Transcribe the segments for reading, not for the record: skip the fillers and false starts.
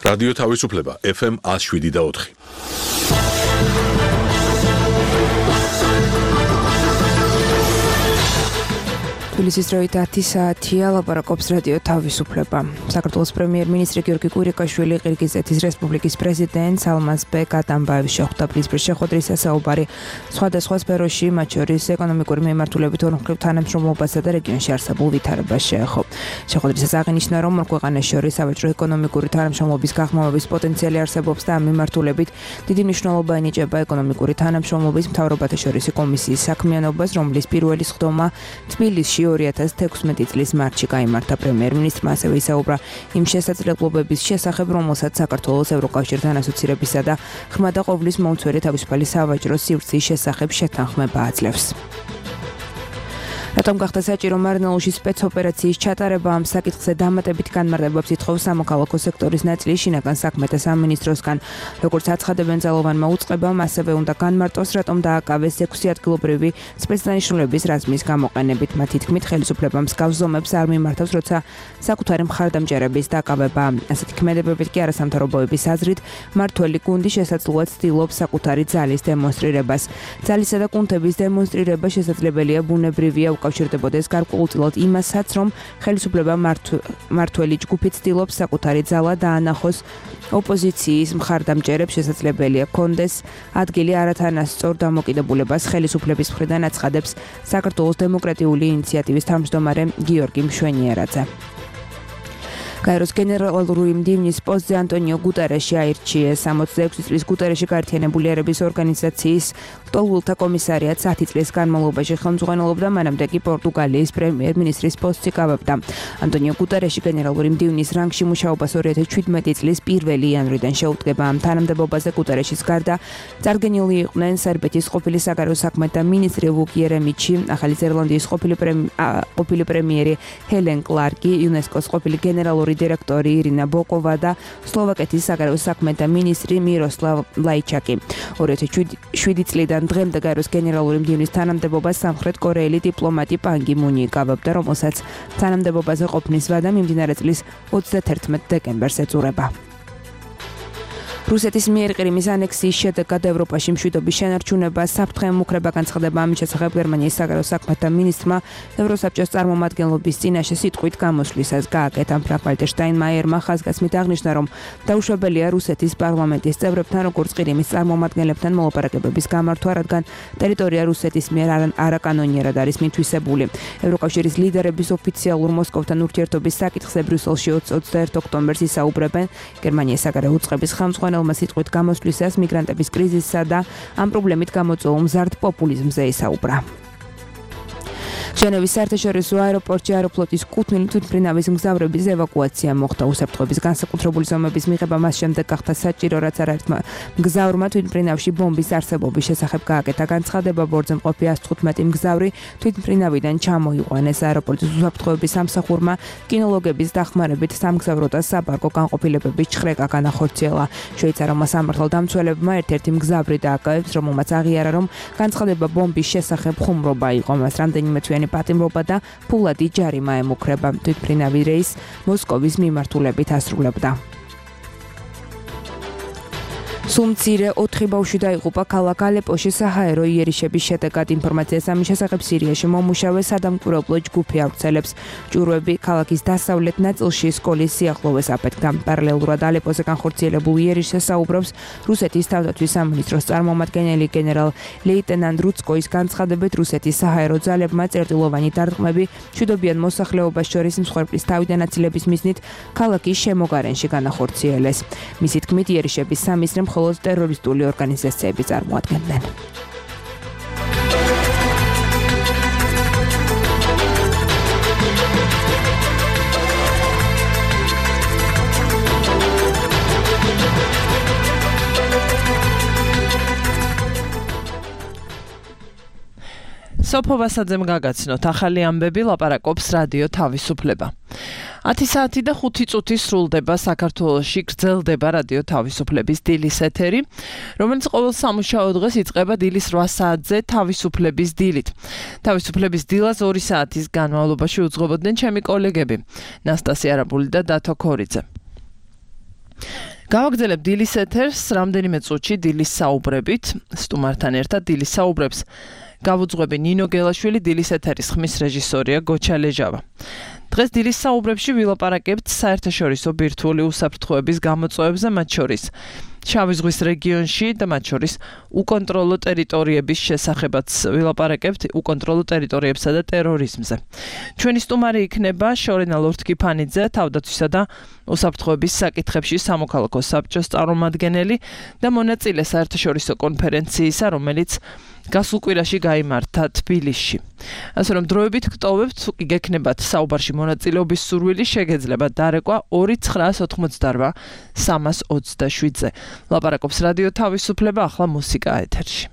რადიო თავისუფლება FM 107.4. თბილისის დროით 10 საათია, ლაპარაკობს რადიო თავისუფლება. საქართველოს პრემიერ-მინისტრი გიორგი კვირიკაშვილი ყირგიზეთის რესპუბლიკის პრეზიდენტ ალმაზბეკ ატამბაევს შეხვდა. პრინციპის შეხვედრის საუბარი სხვადასხვა სფეროში, მათ შორის ეკონომიკური მიმართულებით ორმხრივ თანამშრომლობასა და რეგიონში არსებულ ვითარებას შეეხო. შეხვედრისას აღინიშნა, რომ ორ ქვეყანას შორის სავაჭრო ეკონომიკური თანამშრომლობის გაღრმავების პოტენციალი არსებობს და ამ მიმართულებით დიდი მნიშვნელობა ენიჭება ეკონომიკური თანამშრომლობის მთავრობათა შორისი კომისიის საქმიანობას, რომლის პირველი სხდომა თბილისში 2016 წლის მარტში გაიმართა. პრემიერ-მინისტრმა ასევე ისაუბრა იმ შესაძლებლობების შესახებ, რომელსაც საქართველოს ევროკავშირთან ასოცირებისა და ღრმა და ყოვლის მომცველი თავისუფალი სავაჭრო სივრცის შესახებ შეთანხმება აძლევს. რატომ გახდა საჭირო მარნეულში სპეცოპერაციის ჩატარება? ამ საკითხზე დამატებით განმარტებებს ითხოვს სამოქალაქო სექტორის ნაწილი შინაგან საქმეთა სამინისტროსგან. როგორც აცხადებენ ძალოვანმა უწყებამ, ასევე უნდა განმარტოს, რატომ დააკავეს 6 ადგილობრივი სპეცდანიშნულების რაზმის გამოყენებით. მათი თქმით, ხელისუფლებამ მსგავს ზომებს არ მიმართავს, როცა საკუთარი მხარდამჭერების დაკავება. ასეთი ქმედებებით კი არასამთავრობოების აზრით, მართველი გუნდი შესაძლოა ცდილობს საკუთარი ძალის დემონსტრირებას. ძალისა და კუნთების დემონსტრირება შესაძლებელია ბუნებრივია უკავშირდებოდეს გარკვეულწილად იმასაც, რომ ხელისუფლება მართველი ჯგუფი ცდილობს საკუთარი ძალა დაანახოს ოპოზიციის მხარდამჭერებს, შესაძლებელია კონდეს ადგილი არათანასწორ დამოკიდებულებას ხელისუფლების მხრიდან აცხადებს საქართველოს დემოკრატიული ინიციატივის თავმჯდომარე გიორგი მშვენიერაძე. გაეროს გენერალური მდივნის პოსტზე ანტონიო გუტარეში აირჩიეს. 66 წლის გუტარეში გაერთიანებული ერების ორგანიზაციის ლტოლვილთა კომისარიატს 10 წლის განმავლობაში ხელმძღვანელობდა, მანამდე კი პორტუგალიის პრემიერ-მინისტრის პოსტს იკავებდა. ანტონიო გუტარეში გენერალური მდივნის რანგში მუშაობას 2017 წლის 1 იანვრიდან შეუდგება. ამ თანამდებობაზე გუტარეშის გარდა წარდგენილი იყვნენ სერბეთის ყოფილი საგარეო საქმეთა მინისტრი ვუკ იერემიჩი, ახალი ზელანდიის ყოფილი პრემიერი ჰელენ კლარკი, იუნესკოს ყოფილი გენერალური დირექტორი ირინა ბოკოვა და სლოვაკეთის საგარეო საქმეთა მინისტრი მიროსლავ ლაიჩაკი. 2007 წლიდან დღემდე გაეროს გენერალური მდივნის თანამდებობას სამხრეთ კორეელი დიპლომატი პან გი მუნი იკავებდა, რომელსაც თანამდებობაზე ყოფნის ვადა მიმდინარე წლის 31 დეკემბერს ეწურება. რუსეთის მიერ ყირიმის ანექსიის შედეგად ევროპაში მშვიდობის შენარჩუნება საფრთხე ემუქრება. განცხადება ამის შესახებ გერმანიის საგარეო საქმეთა მინისტრმა ევროსაბჭოს წარმომადგენლობის წინაშე სიტყვით გამოსვლისას გააკეთა. ფრანკ-ვალტერ შტაინმაიერმა ხაზგასმით აღნიშნა, რომ დაუშვებელია რუსეთის პარლამენტის წევრებთან, როგორც ყირიმის წარმომადგენლებთან მოლაპარაკებების გამართვა, რადგან ტერიტორია რუსეთის მიერ არაკანონიერად არის მითვისებული. ევროკავშირის ლიდერების ოფიციალურ მოსკოვთან ურთიერთობის საკითხზე ბრიუსელში 21 ოქტომბერს ისაუბრებენ. გერმანიის საგარეო უწყების ხელმძღვანელი სიტყვით გამოსვლისას მიგრანტების კრიზისსა და ამ პრობლემით გამოწვეულ მზარდ პოპულიზმზე ისაუბრა. ჟენევის საერთაშორისო აეროპორტში აეროფლოტის კუთვნილი თვითმფრინავის მგზავრების ევაკუაცია მოხდა. უსაფრთხოების განსაკუთრებული ზომების მიღება მას შემდეგ გახდა საჭირო, რაც არაერთმა მგზავრმა თვითმფრინავში ბომბის არსებობის შესახებ გააკეთა განცხადება. ბორტზე მყოფი 115 მგზავრი თვითმფრინავიდან ჩამოიყვანეს. აეროპორტის უსაფრთხოების სამსახურმა კინოლოგების დახმარებით სამგზავრო და საბარგო განყოფილებების ჩხრეკა განახორციელა. შვეიცარიელმა სამართალდამცველებმა ერთ-ერთი მგზავრი დააკავეს, რომელმაც აღიარა, რომ განცხადება ბომბის შესახებ ხუმრობა იყო. მას რამდენიმე თვიანი პატიმრობა და ფულადი ჯარიმა ემუქრება. თვითმფრინავი რეისს მოსკოვის მიმართულებით ასრულებდა. სულ მცირე 4 ბავშვი დაიღუპა ქალაქ ალეპოში საჰაერო იერიშების შედეგად. ინფორმაციას ამის შესახებ სირიაში მომუშავე სადამკვირვებლო ჯგუფი ავრცელებს. ჭურვები ქალაქის დასავლეთ ნაწილში სკოლის სიახლოვეს აფეთქდა. პარალელურად ალეპოზე განხორციელებულ იერიშს საუბრობს რუსეთის თავდაცვის სამინისტროს წარმომადგენელი გენერალ ლეიტენანტ რუცკოის განცხადებით, რუსეთის საჰაერო ძალებმა წერტილოვანი დარტყმები მშვიდობიან მოსახლეობას შორის მსხვერპლის თავიდან აცილების მიზნით ქალაქის შემოგარენში განახორციელეს. მისი თქმით, იერიშების სამიზნე მხოლოდ ტერორისტული ორგანიზაციები წარმოადგენდნენ. სოფო ვასაძემ გაგაცნოთ ახალი ამბები, ლაპარაკობს რადიო თავისუფლება. 10 საათი და 5 წუთი სრულდება საქართველოში გრძელდება რადიო თავისუფლების დილის ეთერი, რომელიც ყოველ სამუშაო დღეს იწყება დილის 8 საათზე თავისუფლების დილით. თავისუფლების დილას 2 საათის განმავლობაში უძღვებოდნენ ჩემი კოლეგები ნასტასია არაბული და დათო ქორიძე. გავაგრძელებ დილის ეთერს, რამდენიმე წუთში დილის საუბრებით, სტუმართან ერთად დილის საუბრებს გავუძღვები ნინო გელაშვილი, დილის ეთერის ხმის რეჟისორია გოჩა ლეჟავა. დღეს დილის საუბრებში ვილაპარაკებთ საერთაშორისო ბირთვული უსაფრთხოების გამოწვევებზე, მათ შორის შავი ზღვის რეგიონში და მათ შორის უკონტროლო ტერიტორიების შესახებაც ვილაპარაკებთ, უკონტროლო ტერიტორიებსა და ტერორიზმზე. ჩვენი სტუმარი იქნება შორენა ლორთქიფანიძე, თავდაცვისა და უსაფრთხოების საკითხებში სამოქალაქო საბჭოს წარმომადგენელი და მონაწილე საერთაშორისო კონფერენციისა, რომელიც გასულ კვირაში გაიმართა თბილისში. ასე რომ დროებით გტოვებთ, თუ კი გექნებათ საუბარში მონაწილეობის სურვილი, შეგეძლებათ დარეკვა 2988 327-ზე. ლაპარაკობს რადიო თავისუფლება, ახლა მუსიკა ეთერში.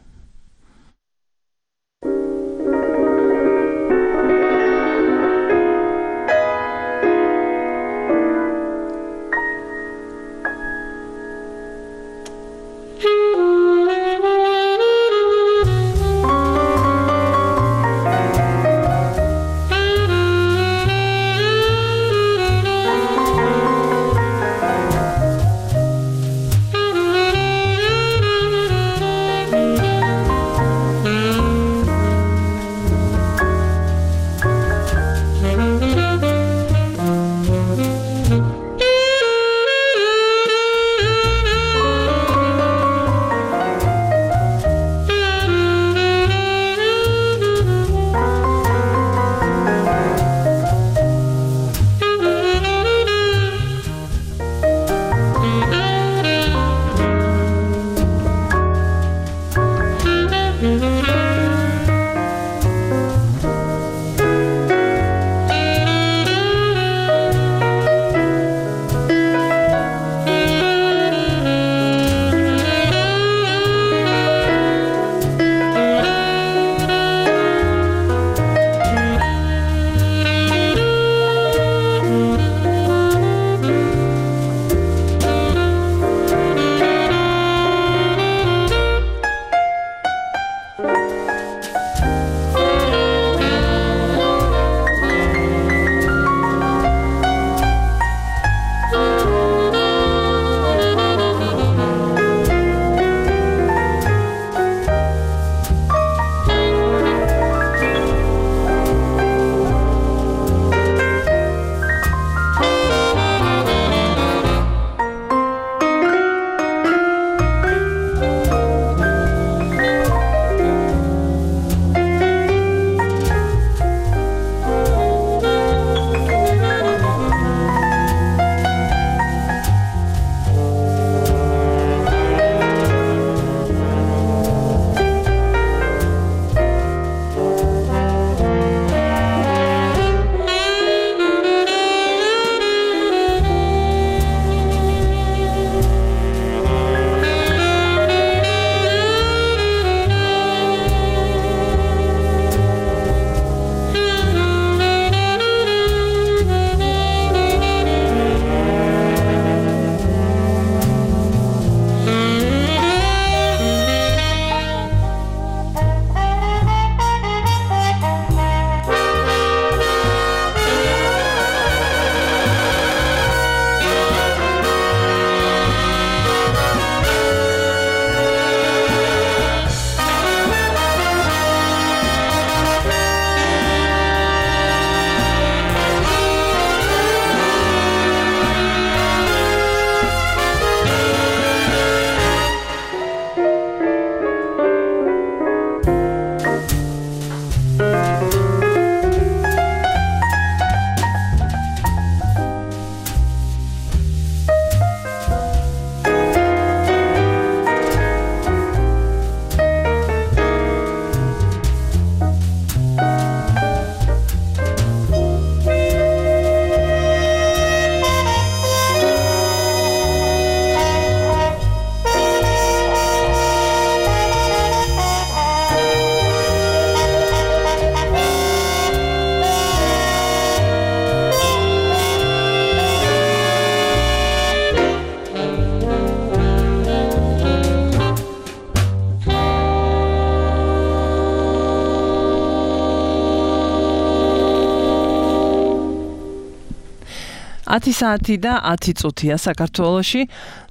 10 საათი და 10 წუთია საქართველოში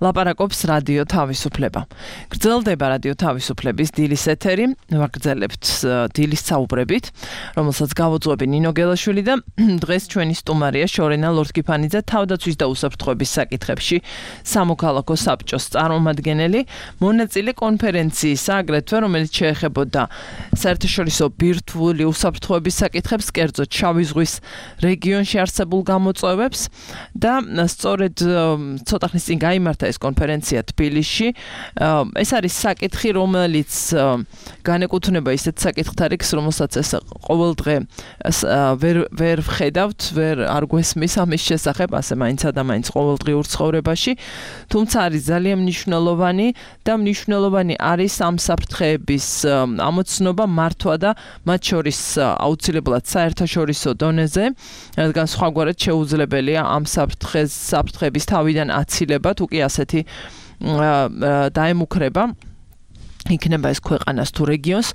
ლაპარაკობს რადიო თავისუფლება. გრძელდება რადიო თავისუფლების დილის ეთერი, ვაგრძელებთ დილის საუბრებით, რომელსაც გავუძღვები ნინო გელაშვილი და დღეს ჩვენი სტუმარია შორენა ლორთქიფანიძე თავდაცვის და უსაფრთხოების საკითხებში სამოქალაქო საბჭოს წარმომადგენელი, მონაწილე კონფერენციისა, აგრეთვე რომელიც შეეხებოდა საერთაშორისო ბირთვული უსაფრთხოების საკითხებს, კერძოდ შავი ზღვის რეგიონში არსებულ გამოწვევებს და სწორედ ცოტა ხნის წინ გაიმართა ეს კონფერენცია თბილისში. ეს არის საკითხი, რომელიც განეკუთვნება ისეთ საკითხთა რიგს, რომელსაც ეს ყოველდღე ვერ ვხედავთ, არ გვესმის ამის შესახებ, ასე მაინცა და მაინც ყოველდღიურ ცხოვრებაში, თუმცა არის ძალიან მნიშვნელოვანი და მნიშვნელოვანი არის ამ საფრთხეების ამოცნობა, მართვა და მათ შორის აუცილებლად საერთაშორისო დონეზე, რადგან სხვაგვარად შეუძლებელია ამ საფრთხების თავიდან აცილება, თუ კი ასეთი დაემუქრება იქნება ეს ქვეყანას თუ რეგიონს.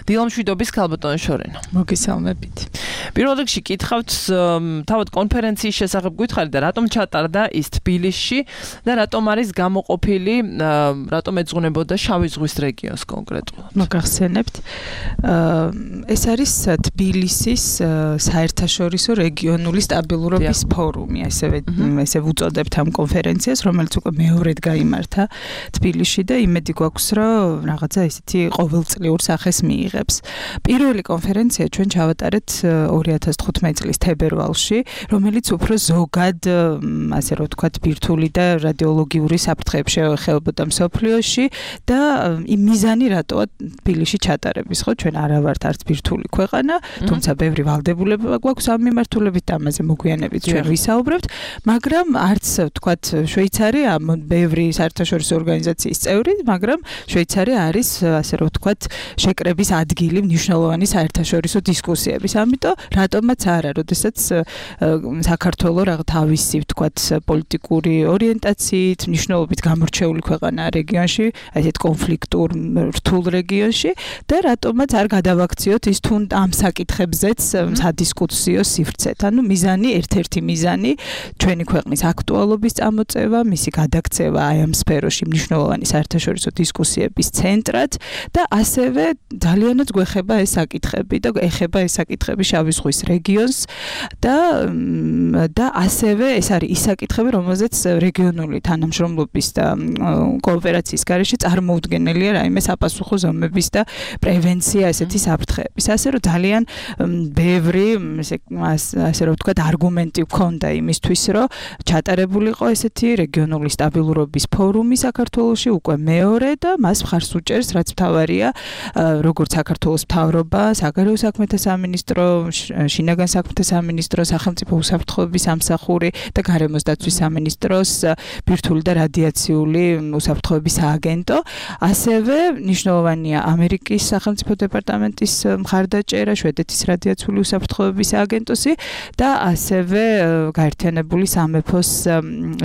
დილამშვიდობის ქალბატონო შორენა. მოგესალმებით. პირველ რიგში კითხავთ თავად კონფერენციის შესახებ გითხარით და რატომ ჩატარდა ის თბილისში და რატომ არის გამოყოფილი, რატომ ეძღვნებოდა შავი ზღვის რეგიონს კონკრეტულად. მოგახსენებთ. ეს არის თბილისის საერთაშორისო რეგიონული სტაბილურობის ფორუმი, ესე ვუწოდებთ ამ კონფერენციას, რომელიც უკვე მეორედ გაიმართა თბილისში და იმედი გვაქვს, რომ რაღაცა ისეთი ყოველწლიურ სახეს მიიღებს. პირველი კონფერენცია ჩვენ ჩავატარეთ 2015 წლის თებერვალში, რომელიც უფრო ზოგად, ასე რომ ვთქვათ, ბირთვული და რადიოლოგიური საფრთხეებს შეეხებოდა მსოფლიოში და იმ მიზანი რატოა თბილისში ჩატარების, ხო, ჩვენ არა ვართ არც ბირთვული ქვეყანა, თუმცა ბევრი ვალდებულება გვაქვს ამ მიმართულებით და ამაზე მოგვიანებით ჩვენ ვისაუბრებთ, მაგრამ არც ვთქვათ, შვეიცარია ბევრი საერთაშორისო ორგანიზაციის წევრი, მაგრამ შვეიცარია არის, ასე რომ ვთქვათ, შეკრების ადგილი მნიშვნელოვანი საერთაშორისო დისკუსიების. ამიტომ რატომაც არა, როდესაც საქართველოს რაღაც თავისი, ვთქვათ, პოლიტიკური ორიენტაციით, მნიშვნელობით გამორჩეული ქვეყანა რეგიონში, ასეთ კონფლიქტურ რთულ რეგიონში და რატომაც არ გადავაქციოთ ის თუ ამ საკითხებზეც სადისკუსიო სივრცეთ. ანუ მიზანი, ერთ-ერთი მიზანი ჩვენი ქვეყნის აქტუალობის წამოწევა, მისი გადაქცევა აი ამ სფეროში მნიშვნელოვანი საერთაშორისო დისკუსიების ცენტრად და ასევე ძალიანაც გვეხება ეს საკითხები და ეხება ეს საკითხები შავი ზღვის რეგიონს და ასევე ეს არის ის საკითხები, რომელზეც რეგიონული თანამშრომლობის და კოოპერაციის გარეშე წარმოუდგენელია რაიმე საპასუხო ზომების და პრევენცია ესეთი საფრთხეების. ასე რომ ძალიან ბევრი, ასე რომ ვთქვათ, არგუმენტი გვქონდა იმისთვის, რომ ჩატარებულიყო ესეთი რეგიონული სტაბილურობის ფორუმი საქართველოში უკვე მეორე და მას მხარს უჭერს, რაც მთავარია, როგორც საქართველოს მთავრობა, საგარეო საქმეთა სამინისტრო, შინაგან საქმეთა სამინისტრო, სახელმწიფო უსაფრთხოების სამსახური და გარემოს დაცვის სამინისტროს ბირთვული და რადიაციული უსაფრთხოების სააგენტო. ასევე მნიშვნელოვანია ამერიკის სახელმწიფო დეპარტამენტის მხარდაჭერა, შვედეთის რადიაციული უსაფრთხოების სააგენტოსი და ასევე გაერთიანებული სამეფოს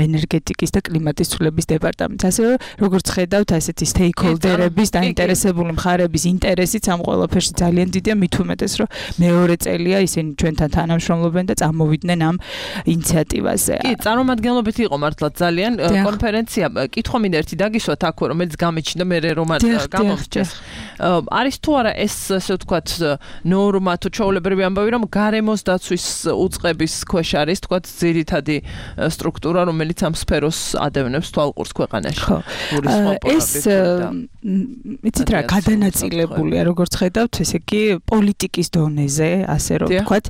ენერგეტიკის და კლიმატის ცვლილების დეპარტამენტი. ასევე როგორც ხედავთ, ასეთი სტეიკჰოლდერების დაინტერესებული მხარების ინტერესიც ამ ყველაფერში ძალიან დიდია, მით უმეტეს, რომ მეორე წელია ისინი ჩვენთან თანამშრომლობენ და წამოვიდნენ ამ ინიციატივაზე. კი, წარმომადგენლობით იყო მართლა ძალიან კონფერენცია. კითხვა მინდა ერთი დაგისვათ აქ, რომელიც გამიჩნდა მე რომ არ გამომრჩეს. არის თუ არა ეს, ასე ვთქვათ, ნორმა თუ ჩვეულებრივი ამბავი, რომ გარემოს დაცვის უწყების ქვეშ არის, ვთქვათ, ძირითადი სტრუქტურა, რომელიც ამ სფეროს ადევნებს თვალყურს ქვეყანაში. ხო. ეს იცით რა, გადანაწილებულია, როგორც ხედავთ, ესე იგი პოლიტიკის დონეზე, ასე რომ ვთქვათ,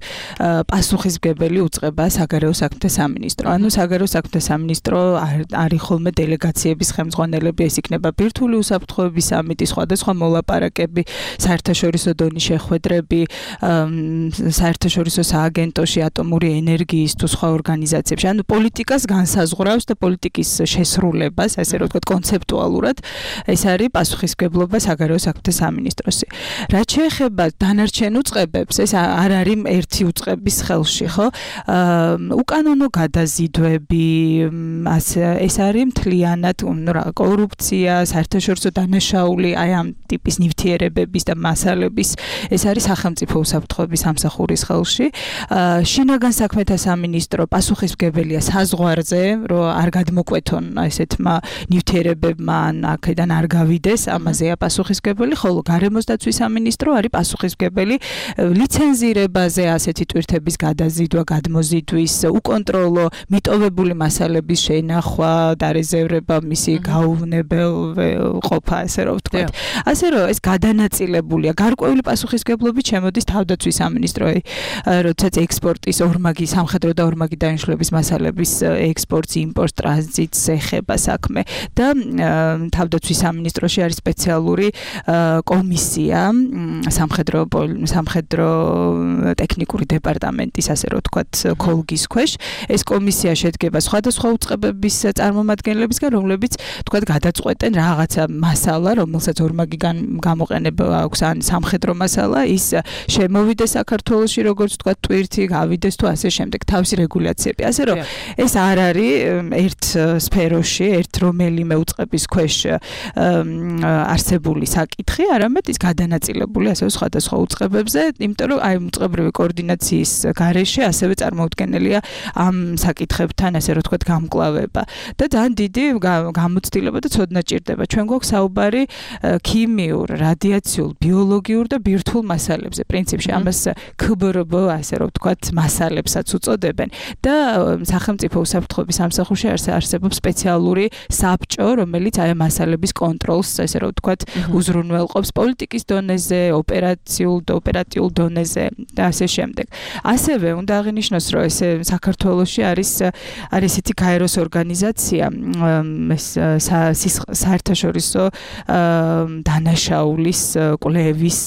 პასუხისმგებელი უწყება საგარეო საქმეთა სამინისტრო. ანუ საგარეო საქმეთა სამინისტრო არის ხოლმე დელეგაციების ხელმძღვანელები, ეს იქნება ბირთვული უსაფრთხოების სამიტი, სხვადასხვა მოლაპარაკები, საერთაშორისო დონის შეხვედრები, საერთაშორისო სააგენტოში ატომური ენერგიის თუ სხვა ორგანიზაციებში. ანუ პოლიტიკას განსაზღვრავს და პოლიტიკის შესრულებას, ასე რომ ვთქვათ, კონცეპტუალურად ეს არის პასუხისმგებლობა საგარეო საქმეთა სამინისტროსი. რაც შეეხება დანარჩენ უწყებებს, ეს არ არის ერთი უწყების ხელში, ხო? უკანონო გადაზიდვები, ეს არის მთლიანად კორუფცია, საერთაშორისო დანაშაული, აი ამ ტიპის ნივთიერებების და მასალების, ეს არის სახელმწიფო უსაფრთხოების სამსახურის ხელში. შინაგან საქმეთა სამინისტრო პასუხისმგებელია საზღვარზე, რომ არ გადმოკვეთონ ესეთმა ნივთიერებებმა ან აქედან არ გავიდეს, ამაზეა პასუხისმგებელი, ხოლო გარემოს დაცვის სამინისტრო არის პასუხისმგებელი ლიცენზირებაზე ასეთი ტვირთების გადაზიდვა, გადმოზიდვის, უკონტროლო მიტოვებული მასალების შენახვა, დარეზერვება, მისი გაუვნებელყოფა, ასე რომ ვთქვათ. ასე რომ ეს გადანაწილებულია. გარკვეული პასუხისმგებლობით შემოდის თავდაცვის სამინისტროი, როდესაც ექსპორტის ორმაგი, სამხედრო და ორმაგი დანიშნულების მასალების ექსპორტს, იმპორტს, ტრანზიტს ეხება საქმე და თავდაცვის სამინისტროში არის სპეციალური კომისია, სამხედრო ტექნიკური დეპარტამენტის, ასე რომ ვთქვათ, ქოლგის ქვეშ. ეს კომისია შედგება სხვადასხვა უწყებების წარმომადგენლებისგან, რომლებიც ვთქვათ გადაწყვეტენ რაღაცა მასალა, რომელსაც ორმაგი გამოყენება აქვს, ან სამხედრო მასალა, ის შემოვიდეს საქართველოში, როგორც ვთქვათ, ტვირთი გავიდეს თუ ასე შემდეგ, თავისი რეგულაციები. ასე რომ ეს არ არის ერთ სფეროში, ერთ რომელიმე უწყების ქვეშ არსებული საკითხი, არამედ ის გადანაწილებული ასევე სხვადასხვა უწყებებზე, იმიტომ რომ აი უწყებრივი კოორდინაციის გარეშე ასევე წარმოუდგენელია ამ საკითხებთან, ასე რომ ვთქვათ, გამკლავება. და ძალიან დიდი გამოცდილება და ცოდნა ჭირდება. ჩვენ გვაქვს საუბარი ქიმიურ, რადიაციულ, ბიოლოგიურ და ბირთვულ მასალებზე. პრინციპში ამას ქბრბ, ასე რომ ვთქვათ, მასალებსაც უწოდებენ და სახელმწიფო უსაფრთხოების სამსახურში არსებობს სპეციალური საბჭო, რომელიც აი მასალების კონტროლს, ასე რომ ვთქვათ, უზრუნველყოფს პოლიტიკის დონეზე, ოპერატიულ დონეზე და ასე შემდეგ. ასევე უნდა აღინიშნოს, რომ ეს საქართველოში არის ესეთი გაეროს ორგანიზაცია, ეს საერთაშორისო დანაშაულის კვლევის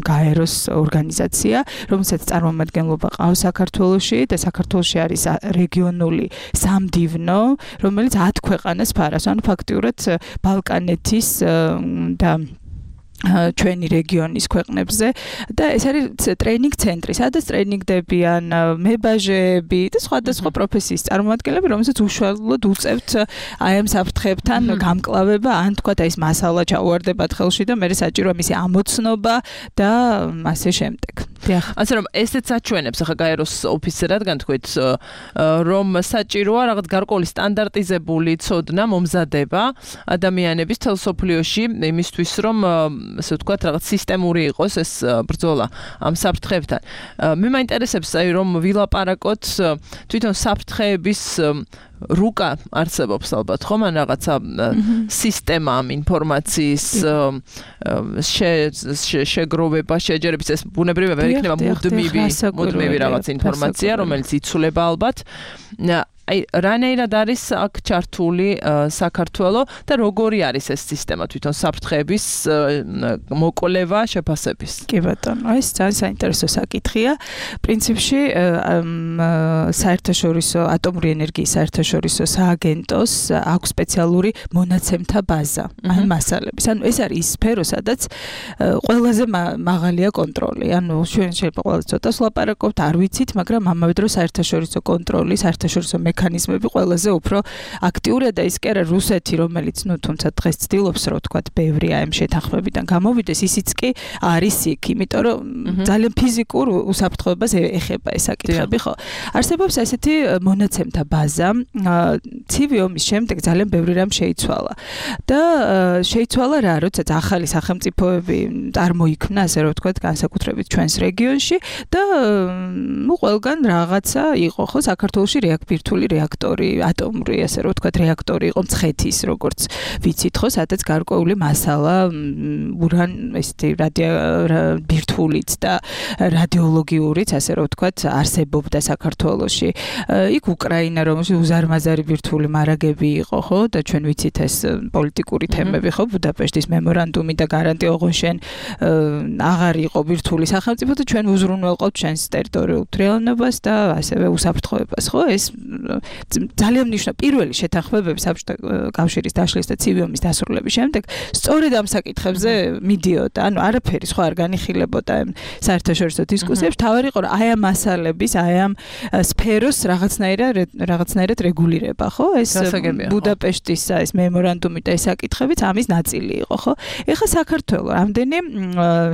გაეროს ორგანიზაცია, რომელსაც წარმომადგენლობა ყავს საქართველოში და საქართველოში არის რეგიონული სამდივნო, რომელიც 10 ქვეყანას ფარავს, ანუ ფაქტიურად ბალკანეთის და ჩვენი რეგიონის ქვეყნებზე და ეს არის ტრეინინგ ცენტრი, სადაც ტრეინინგდებიან მებაჟეები და სხვადასხვა პროფესიის წარმომადგენლები, რომელსაც უშუალოდ უწევთ აი ამ საფრთხეებთან გამკლავება, ან თქვათ აი ეს მასალა ჩაუვარდებათ ხელში და მე საჭიროა მისი ამოცნობა და ასე შემდეგ. ასე რომ ესეც აჩვენებს ახლა გაეროს ოფისზე, რადგან თქვით, რომ საჭიროა რაღაც გარკვეული სტანდარტიზებული ცოდნა მომზადება ადამიანების თელსოფლიოში იმისთვის, რომ ასე ვთქვათ, რაღაც სისტემური იყოს ეს ბრძოლა ამ საფრთხეებთან. მე მაინტერესებს, აი რომ ვილაპარაკოთ თვითონ საფრთხეების რუკა არსებობს ალბათ, ხომ? ან რაღაცა სისტემა ამ ინფორმაციის შეგროვება, შეჯერების, ეს ბუნებრივია ვერ იქნება მუდმივი რაღაც ინფორმაცია, რომელიც იცვლება ალბათ. აი რანაირად არის აქ ჩართული საქართველო და როგორი არის ეს სისტემა თვითონ საფრთხეების მოკვლევა შეფასების? კი ბატონო, ეს ძალიან საინტერესო საკითხია. პრინციპში საერთაშორისო ატომური ენერგიის საერთაშორისო სააგენტოს აქვს სპეციალური მონაცემთა ბაზა, ან მასალების. ანუ ეს არის ის სფერო, სადაც ყველაზე მაღალია კონტროლი. ანუ ჩვენ შეიძლება ყველაზე ცოტას ვლაპარაკობთ, არ ვიცით, მაგრამ ამავე დროს საერთაშორისო კონტროლი, საერთაშორისო მექანიზმები ყველაზე უფრო აქტიურია და ის კი არა რუსეთი, რომელიც თუმცა დღეს ცდილობს, რომ თქვათ, ბევრი ამ შეთანხმებიდან გამოვიდეს, ისიც კი არის იქ, იმიტომ რომ ძალიან ფიზიკურ უსაფრთხოებას ეხება ეს საკითხები, ხო? არსებობს ესეთი მონაცემთა ბაზა, ცივი ომის შემდეგ ძალიან ბევრი რამ შეიცვალა. და შეიცვალა რა, როდესაც ახალი სახელმწიფოები წარმოიქმნა, ასე რომ ვთქვათ, განსაკუთრებით ჩვენს რეგიონში და ყველგან რაღაცა იყო, ხო, საქართველოში ბირთვული რეაქტორი, ატომური, ასე რომ ვთქვათ, რეაქტორი იყო მცხეთის, როგორც ვიცით, ხო, სადაც გარკვეული მასალა ესეთი ბირთვულიც და რადიოლოგიურიც, ასე რომ ვთქვათ, არსებობდა საქართველოში. იქ უკრაინა, რომელშიც უზარმაზარი ბირთვული მარაგები იყო, ხო, და ჩვენ ვიცით ეს პოლიტიკური თემები, ხო, ბუდაპეშტის მემორანდუმი და გარანტი ოღონდ აღარ იყო ბირთვული სახელმწიფო და ჩვენ უზრუნველყოფთ ჩვენს ტერიტორიულ თვრილობას და ასევე უსაფრთხოებას, ხო? ეს ძალიან მნიშვნელოვანი პირველი შეთანხმებები საბჭოთა კავშირის დაშლის და ცივი ომის დასრულების შემდეგ სწორედ ამ საკითხებზე მიდიოდა. ანუ არაფერი სხვა არ განიხილებოდა. ცოტა საერთაშორისო დისკუსიებში, თავი იყო რომ აი ამ მასალების, აი ამ სფეროს რაღაცნაირად რეგულირება, ხო? ეს ბუდაპეშტის ეს მემორანდუმი და ეს საკითხებიც ამის ნაწილი იყო, ხო? ეხლა საქართველოს რამდენი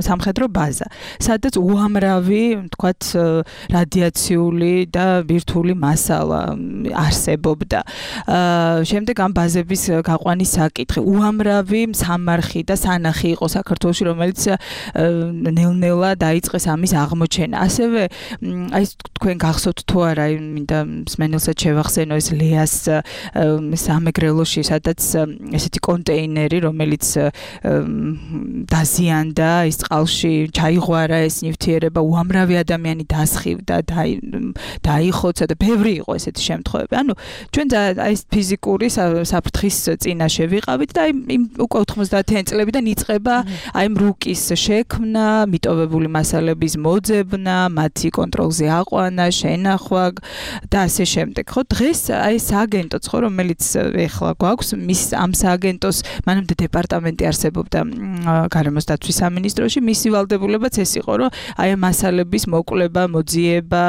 სამხედრო ბაზა, სადაც უამრავი, თქვათ, რადიაციული და ბირთვული მასალა არსებობდა. შემდეგ ამ ბაზების გაყვანის საკითხი, უამრავი სამარხი და სანახი იყო საქართველოში, რომელიც ნელ-ნელა დაიწყეს ამის აღმოჩენა. ასევე აი თქვენ გახსოვთ თუ არა, მინდა მსმენელსაც შევახსენო ეს ლეას სამეგრელოში, სადაც ესეთი კონტეინერი, რომელიც დაზიანდა ის წყალში, ჩაიღვარა ეს ნივთიერება, უამრავი ადამიანი დასხივდა, დაიხოცა და ბევრი იყო ესეთი შემთხვევები. ანუ ჩვენ აი ეს ფიზიკური საფრთხის წინაშე ვიყავით და აი უკვე 90-იან წლებიდან იწყება აი რუკის შექმნა, მიტოვებული მასალების მოძებნა, მათი კონტროლზე აყვანა, შენახვა და ასე შემდეგ. ხო, დღეს აი სააგენტოც ხო, რომელიც ეხლა გვაქვს, მის ამ სააგენტოს მანამდე დეპარტამენტი არსებობდა გარემოს დაცვის სამინისტროში, მისი ვალდებულებაც ეს იყო, რომ აი ამ მასალების მოკვლევა, მოძიება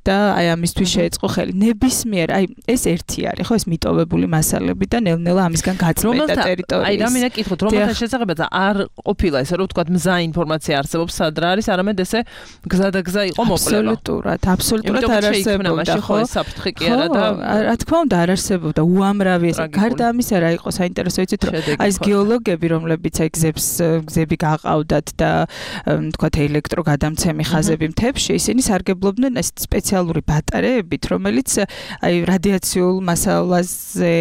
და აი ამისთვის შეეწყო ხელი. ნებისმიერ, აი ეს ერთი არის, ხო, ეს მიტოვებული მასალები და ნელ-ნელა ამისგან გაწმენდა ტერიტორიის. აი რა მინდა კითხოთ, რომელთა შესაძლებელია არ ყოფილა ესე რომ ვთქვათ მზა ინფორმაცია არსებობს სად რა არის, არამედ ესე გზადაგზა იყო მოკვლევა. აბსოლუტურად არ არსებობდა, ხო? საფრთხე კი არა და რა თქმა უნდა არ არსებობდა, უამრავი ეს. გარდა ამისა რა იყო საინტერესო იცით, რომ აი ეს გეოლოგები, რომლებიც აი გზები გაყავდათ და ვთქვათ ელექტროგადამცემი ხაზები მთებში, ისინი სარგებლობდნენ ეს სპეციალური ბატარეებით, რომელიც აი რადიაციულ მასალაზე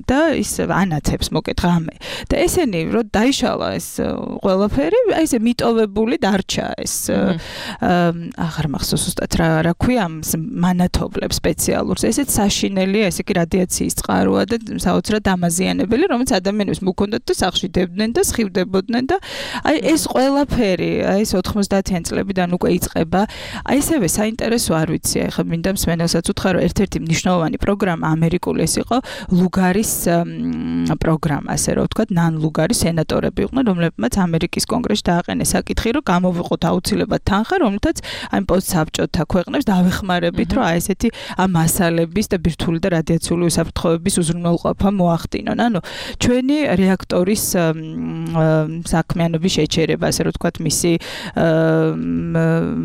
და ის ანათებს მოკეთ ღამე. და ესენი რომ დაიშალა ეს ყველაფერი, აი ესე მიტოვებული დარჩა ეს აღარ მახსოვს ზუსტად რა ქვია ამ მანათობლებს სპეციალურს. ესეც საშინელია, ესე კი რადიაციის წყაროა და საოცრად დამაზიანებელი, რომელიც ადამიანებს მოქონდათ და სახლში დებდნენ და სხივდებოდნენ და აი ეს ყველაფერი, აი ეს 90-იან წლებიდან უკვე იწყება. აი ესევე საინტერესო არ ვიცი, ახლა მინდა მსმენელსაც უთხრა, რომ ერთ-ერთი მნიშვნელოვანი პროგრამა ამერიკული ეს იყო ლუგარის პროგრამა, ასე რომ ვთქვათ, ნან ლუგარის სენატორები იყვნენ, რომლებმაც ამერიკის კონგრესში დააყენეს საკითხი, რომ გამოვიყოთ აუცილებლად თანხა, რომელთაც აი პოსტსაბჭოთა ქვეყნებს დავეხმარებით, რომ აი ესეთი ამ მასალების და ბირთვული და რადიაციული უსაფრთხოების უზრუნველყოფა მოახდინონ. ანუ ჩვენი რეაქტორის საქმიანობის შეჩერება, ასე რომ ვთქვათ, მისი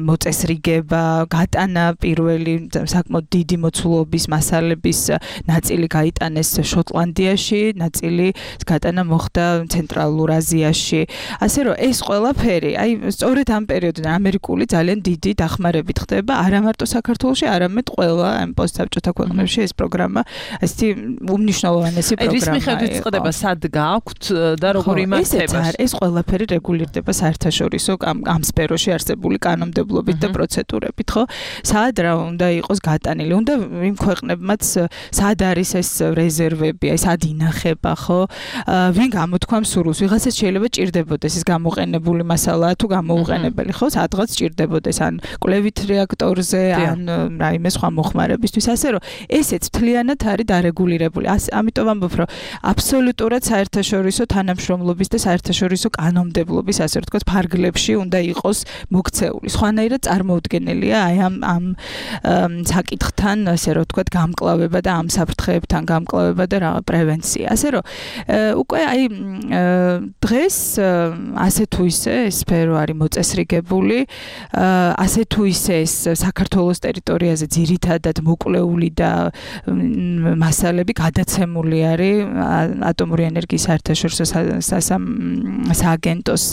მოწესრიგება, გატანა პირველი საკმაოდ დიდი მოცულობის მასალების ნაწილი გაიტანეს შოტლანდიაში, ნაწილი გატანა მოხდა ცენტრალურ აზიაში. ასე რომ ეს ყველაფერი, აი სწორედ ამ პერიოდიდან ამერიკული ძალიან დიდი დახმარებით ხდება, არა მარტო საქართველოში, არამედ ყველა ამ პოსტსაბჭოთა ქვეყნებში ეს პროგრამა, ესეთი უმნიშვნელოვანესი პროგრამაა. ეს მიხედვით წყდება სად გააქვთ და როგორი იმართება? ეს ყველაფერი რეგულირდება საერთაშორისო ამ სფეროში არსებული კანონმდებლობით და პროცედურებით, ხო? სად რა უნდა იყოს გატანილი? უნდა იმ ქვეყნებმაც სად არის ეს რეზერვები, აი სად ინახება, ხო? ვინ გამოთქვამს სურვილს? ვიღაცას შეიძლება ჭირდებოდეს ეს გამოყენებული მასალაა თუ გამოუყენებელი, ხო? სადღაც ჭირდებოდეს ან კვლევით რეაქტორზე, ან რაიმე სხვა მოხმარებისთვის, ასე რომ ესეც მთლიანად არის დარეგულირებული. ამიტომ ამბობ, რომ აბსოლუტურად საერთაშორისო თანამშრომლობის და საერთაშორისო კანონმდებლობის, ასე ვთქვათ, ფარგლებში უნდა იყოს მოქცეული. სხვანაირად წარმოუდგენელია აი ამ საკითხთან, ასე რომ ვთქვათ, გამკლავება და ამ საფრთხეებთან გამკლავება და რა პრევენცია. ასე რომ უკვე აი დღეს ასე თუ ისე ეს სფერო არის მოწესრიგებული, ასე თუ ისე ეს საქართველოს ტერიტორიაზე ძირითადად მოკვლეული და მასალები გადაცემული არის ატომური ენერგიის საერთაშორისო სააგენტოს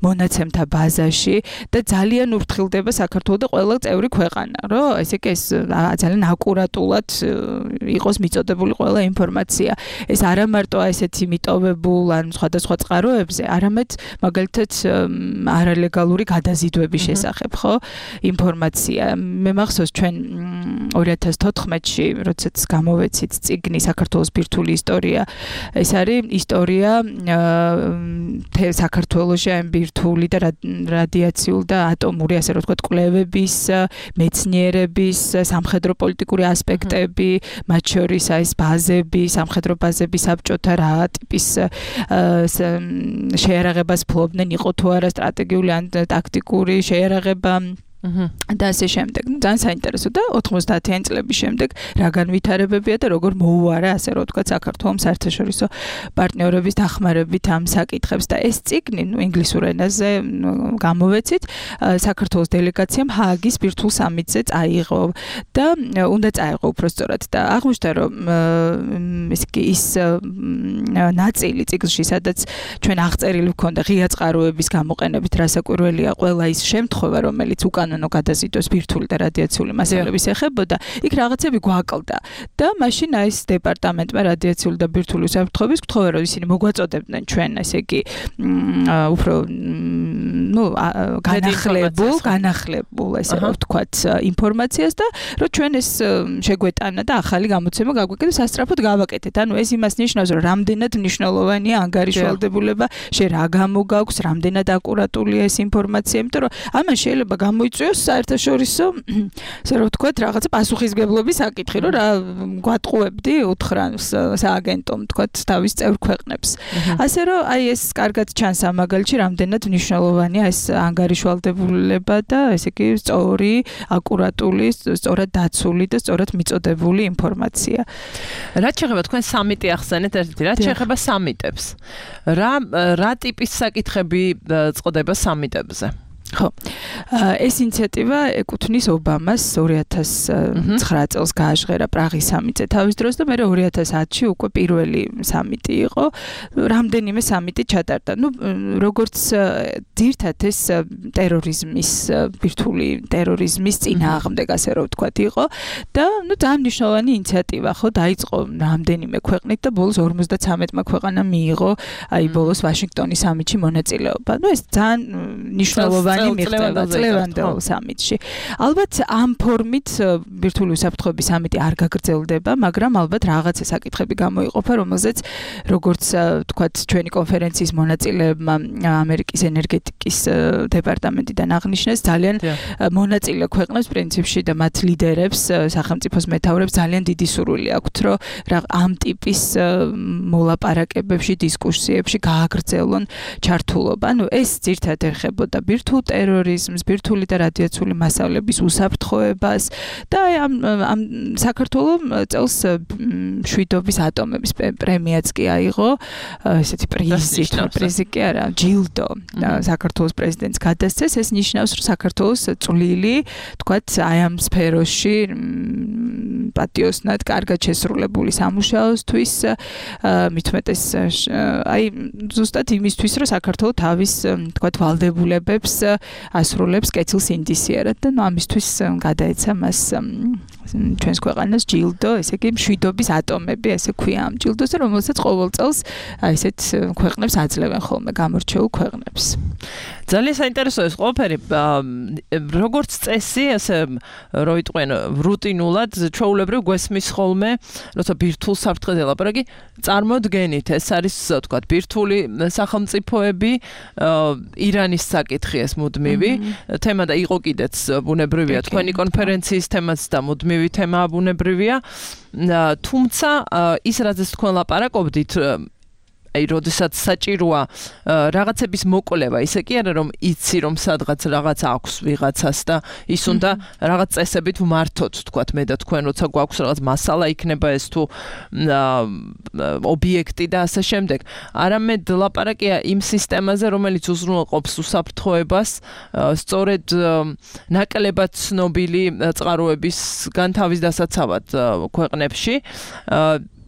მონაცემთა ბაზაში და ძალიან ურთხილდება საქართველოს და ყველა წევრი ქვეყანა, რომ ესე იგი ეს ძალიან აკურატულად იყოს მიწოდებული ყველა ინფორმაცია. ეს არა მარტო ესეთი მიტოვებულ ან სხვადასხვა წყაროებზე, არამედ მაგალითად არალეგალური გადაზიდვების შესახებ, ხო? ინფორმაცია. მე მახსოვს ჩვენ 2014-ში, როდესაც გამოვეცით წიგნი საქართველოს ბირთვული ისტორია, ეს არის ისტორია საქართველოში ამ ბირთვული და რადიაციული და ატომური, ასე რომ ვთქვათ, კვლევების, მეცნიერების, სამხედრო პოლიტიკური ასპექტები, მათ შორის ეს ბაზები, სამხედრო ბაზები საბჭოთა რა ტიპის შეერაღებას ფლობდნენ, იყო თუ არა სტრატეგიული სტრატეგიული ან ტაქტიკური შეიარაღება და ასე შემდეგ. ძალიან საინტერესო და 90-იან წლების შემდეგ რა განვითარებებია და როგორ მოუარა ასე რომ ვთქვათ საქართველოს საერთაშორისო პარტნიორების დახმარებით ამ საკითხებს და ეს წიგნი ინგლისურ ენაზე გამოვეცით საქართველოს დელეგაციამ ჰააგის ბირთვულ სამიტზე წაიღო და უნდა წაიღო უბრალოდ და აღმოჩნდა რომ ის ნაწილი წიგნში სადაც ჩვენ აღწერილი ვქონდა ღია წყაროების გამოყენებით რასაკვირველია ყველა ის შემთხვევა რომელიც უკან გადაზიდოს ბირთვული და რადიაციული მასალების ეხებოდა, იქ რაღაცები გვაკლდა და მაშინ ეს დეპარტამენტმა რადიაციული და ბირთვული უსაფრთხოების გთხოვა რომ ისინი მოგვაწოდებდნენ ჩვენ ესე იგი უფრო განახლებულ ესე რომ ვთქვათ ინფორმაციას და რომ ჩვენ ეს შეგვეტანა და ახალი გამოცემა გაგვეკეთეთ სასწრაფოდ გავაკეთეთ. ანუ ეს იმას ნიშნავს რომ რამდენად მნიშვნელოვანია ანგარიშვალდებულება, შე რა გამოგაქვს, რამდენად აკურატულია ეს ინფორმაცია, იმიტომ რომ ამან შეიძლება გამოიწვიოს საერთაშორისო ასე რომ ვთქვათ რაღაცა პასუხისგებლობის საკითხი, რომ რა გვატყუებდი უთხრავს სააგენტომ ვთქვათ თავის წევრ ქვეყნებს. ასე რომ აი ეს კარგად ჩანს ამ მაგალითში რამდენად მნიშვნელოვანია ეს ანგარიშვალდებულება და ესე იგი სწორი, აკურატული, სწორად დაცული და სწორად მიწოდებული ინფორმაცია. რაც შეეხება თქვენ სამიტი ახსენეთ ერთ-ერთი, რაც შეეხება სამიტებს. რა ტიპის საკითხები წყდება სამიტებზე? ხო. ეს ინიციატივა ეკუთვნის ობამას 2009 წელს გააჟღერა პრაღის სამიტზე თავის დროს და მე 2010-ში უკვე პირველი სამიტი იყო. რამდენიმე სამიტი ჩატარდა. როგორც ძირთად ეს ტერორიზმის ბირთვული ტერორიზმის წინააღმდეგ ასე რომ ვთქვათ იყო და ძალიან მნიშვნელოვანი ინიციატივა ხო დაიწყო რამდენიმე ქვეყნით და ბოლოს 53-მა ქვეყანამ მიიღო აი ბოლოს ვაშინგტონის სამიტში მონაწილეობა. ეს ძალიან მნიშვნელოვანი წლევანდელ სამიტში. ალბათ ამ ფორმით ბირთვული უსაფრთხოების სამიტი არ გაგრძელდება, მაგრამ ალბათ რაღაცა საკითხები გამოიყოფა, რომელზეც როგორც ვთქვათ ჩვენი კონფერენციის მონაწილეებმა ამერიკის ენერგეტიკის დეპარტამენტიდან აღნიშნეს, ძალიან მონაწილე ქვეყნებს პრინციპში და მათ ლიდერებს, სახელმწიფოს მეთაურებს ძალიან დიდი სურვილი აქვთ, რომ ამ ტიპის მოლაპარაკებებში, დისკუსიებში გააგრძელონ ჩართულობა. ეს ძირთად ეხებოდა ბირთვულ ტერორიზმს, ბირთვული და რადიაციული მასალების უსაფრთხოებას და ამ საქართველოს წელს მშვიდობის ატომების პრემიაც კი აიღო, ესეთი პრიზი კი არა, ჯილდო საქართველოს პრეზიდენტს გადასცეს. ეს ნიშნავს, რომ საქართველოს წვლილი, თქვათ, აი ამ სფეროში პატიოსნად კარგად შესრულებული სამუშაოსთვის, მithumetes აი ზუსტად იმისთვის, რომ საქართველოს თავის, თქვათ, ვალდებულებებს ასრულებს კეთილს ინდისიერად და ამისთვის გადაეცა მას ჩვენს ქვეყანას ჯილდო, ესე იგი მშვიდობის ატომები, ესე ქვია ამ ჯილდოზე, რომელსაც ყოველ წელს ესეთ ქვეყნებს აძლევენ ხოლმე გამორჩეულ ქვეყნებს. ძალიან საინტერესოა ეს ყველაფერი. როგორც წესი, ასე რო იტყვენ რუტინულად, ჩვეულებრივ გვესმის ხოლმე, როცა ბირთვულ საფრთხეზე ლაპარაკი, წარმოდგენით, ეს არის, თქვათ, ბირთვული სახელმწიფოები, ირანის საკითხი ეს მუდმივი თემა და იყო კიდეც ბუნებრივია თქვენი კონფერენციის თემაც და მუდმივი თემაა ბუნებრივია. თუმცა ის რაზეც თქვენ ლაპარაკობდით აი როდესაც საჭიროა რაღაცების მოკვლევა, ისე კი არა რომ იცი რომ სადღაც რაღაც აქვს ვიღაცას და ის უნდა რაღაც წესებით ვმართოთ, თქვათ მე და თქვენ, როცა გვაქვს რაღაც მასალა იქნება ეს თუ ობიექტი და ასე შემდეგ. არამედ ლაპარაკია იმ სისტემაზე, რომელიც უზრუნველყოფს უსაფრთხოებას, სწორედ ნაკლებად ცნობილი წყაროებისგან თავის დასაცავად ქვეყნებში.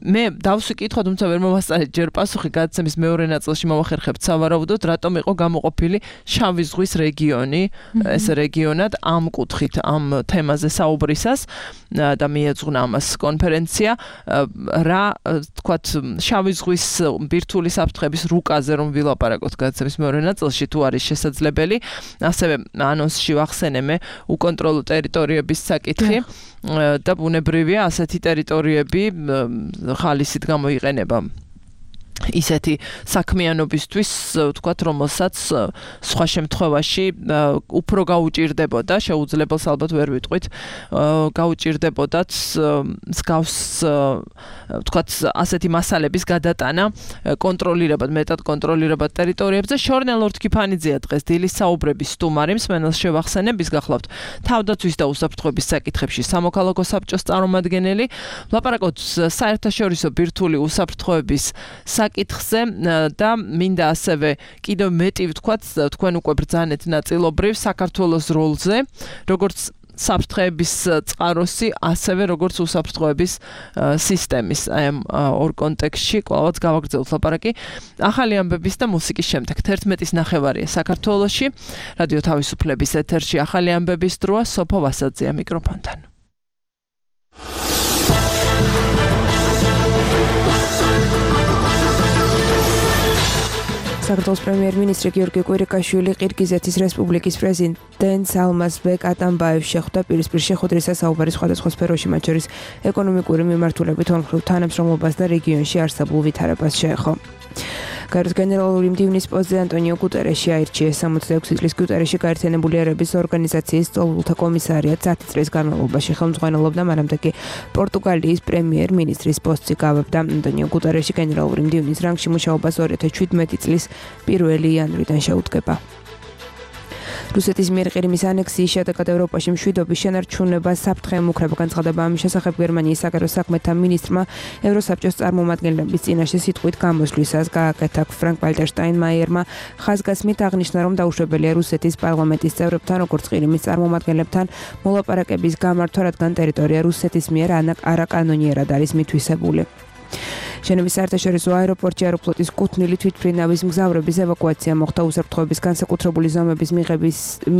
მე დავსვი კითხვა, თუმცა ვერ მომასწრეთ ჯერ პასუხი გადაცემის მეორე ნაწილში მოვახერხებთ სავარაუდოდ, რატომ იყო გამოყოფილი შავი ზღვის რეგიონი, ეს რეგიონად ამ კუთხით, ამ თემაზე საუბრისას და მიეძღვნა ამას კონფერენცია, რა თქვათ, შავი ზღვის ბირთვული საფრთხების რუკაზე რომ ვილაპარაკოთ გადაცემის მეორე ნაწილში, თუ არის შესაძლებელი, ასევე ანონსში ვახსენე მე უკონტროლო ტერიტორიების საკითხი და ბუნებრივია ასეთი ტერიტორიები ხალისით გამოიყენება ისეთი საქმიანობისთვის, ვთქვათ, რომელსაც სხვა შემთხვევაში უფრო გაუჭირდებოდა, შეუძლებელს ალბათ ვერ ვიტყვით, გაუჭირდებოდათ მსგავს, ვთქვათ, ასეთი მასალების გადატანა, კონტროლირებად, მეტად კონტროლირებად ტერიტორიებზე. შორნელ ორთქიფანიძეა დღეს დილის საუბრების სტუმარი, მსმენელს შევახსენებ, ის გახლავთ თავდაცვის და უსაფრთხოების საკითხებში სამოქალაქო საბჭოს წარმომადგენელი. ვლაპარაკობთ საერთაშორისო ბირთვული უსაფრთხოების საკითხზე და მინდა ასევე კიდევ მეტი ვთქვათ, თქვენ უკვე ბრძანეთ ნაწილობრივ საქართველოს როლზე, როგორც საფრთხეების წყაროსი, ასევე როგორც უსაფრთხოების სისტემის ორ კონტექსტში კვლავაც გავაგრძელოთ ლაპარაკი. ახალი ამბების და მუსიკის შემდეგ 11:30 საქართველოში რადიო თავისუფლების ეთერში ახალი ამბების დროა, სოფო ვასაძეა მიკროფონთან. საქართველოს პრემიერ-მინისტრი გიორგი კვირიკაშვილი ყირგიზეთის რესპუბლიკის პრეზიდენტს ალმაზბეკ ატამბაევს შეხვდა პირისპირ შეხვედრისას საუბარი სხვადასხვა სფეროში, მათ შორის ეკონომიკური მიმართულებით, ორმხრივ თანამშრომლობას და რეგიონში არსებულ ვითარებას შეეხო. გაეროს გენერალური მდივნის პოსტზე ანტონიო გუტერეში აირჩიეს 66 წლის გუტერეში გაერთიანებული ერების ორგანიზაციის წვალულთა კომისარიატ 10 წლის განმავლობაში ხელმძღვანელობდა, მანამდე კი პორტუგალიის პრემიერ-მინისტრის პოსტზე გავებდა. ანტონიო გუტერეში გენერალური მდივნის რანგში მუშაობას 2017 წლის 1 იანვრიდან შეუდგება. რუსეთის მიერ ყირიმის ანექსიის შედეგად ევროპაში მშვიდობის შენარჩუნება საფრთხე ემუქრება. განცხადება ამის შესახებ გერმანიის საგარეო საქმეთა მინისტრმა ევროსაბჭოს წარმომადგენლების წინაშე სიტყვით გამოსვლისას გააკეთა. ფრანკ-ვალტერ შტაინმაიერმა ხაზგასმით აღნიშნა, რომ დაუშვებელია რუსეთის პარლამენტის წევრებთან, როგორც ყირიმის წარმომადგენლებთან მოლაპარაკების გამართვა, რადგან ტერიტორია რუსეთის მიერ არაკანონიერად არის მითვისებული. შენობის საერთაშორისო აეროპორტში აეროფლოტის კუთვნილი თვითმფრინავის მგზავრების ევაკუაცია მოხდა. უსაფრთხოების განსაკუთრებული ზომების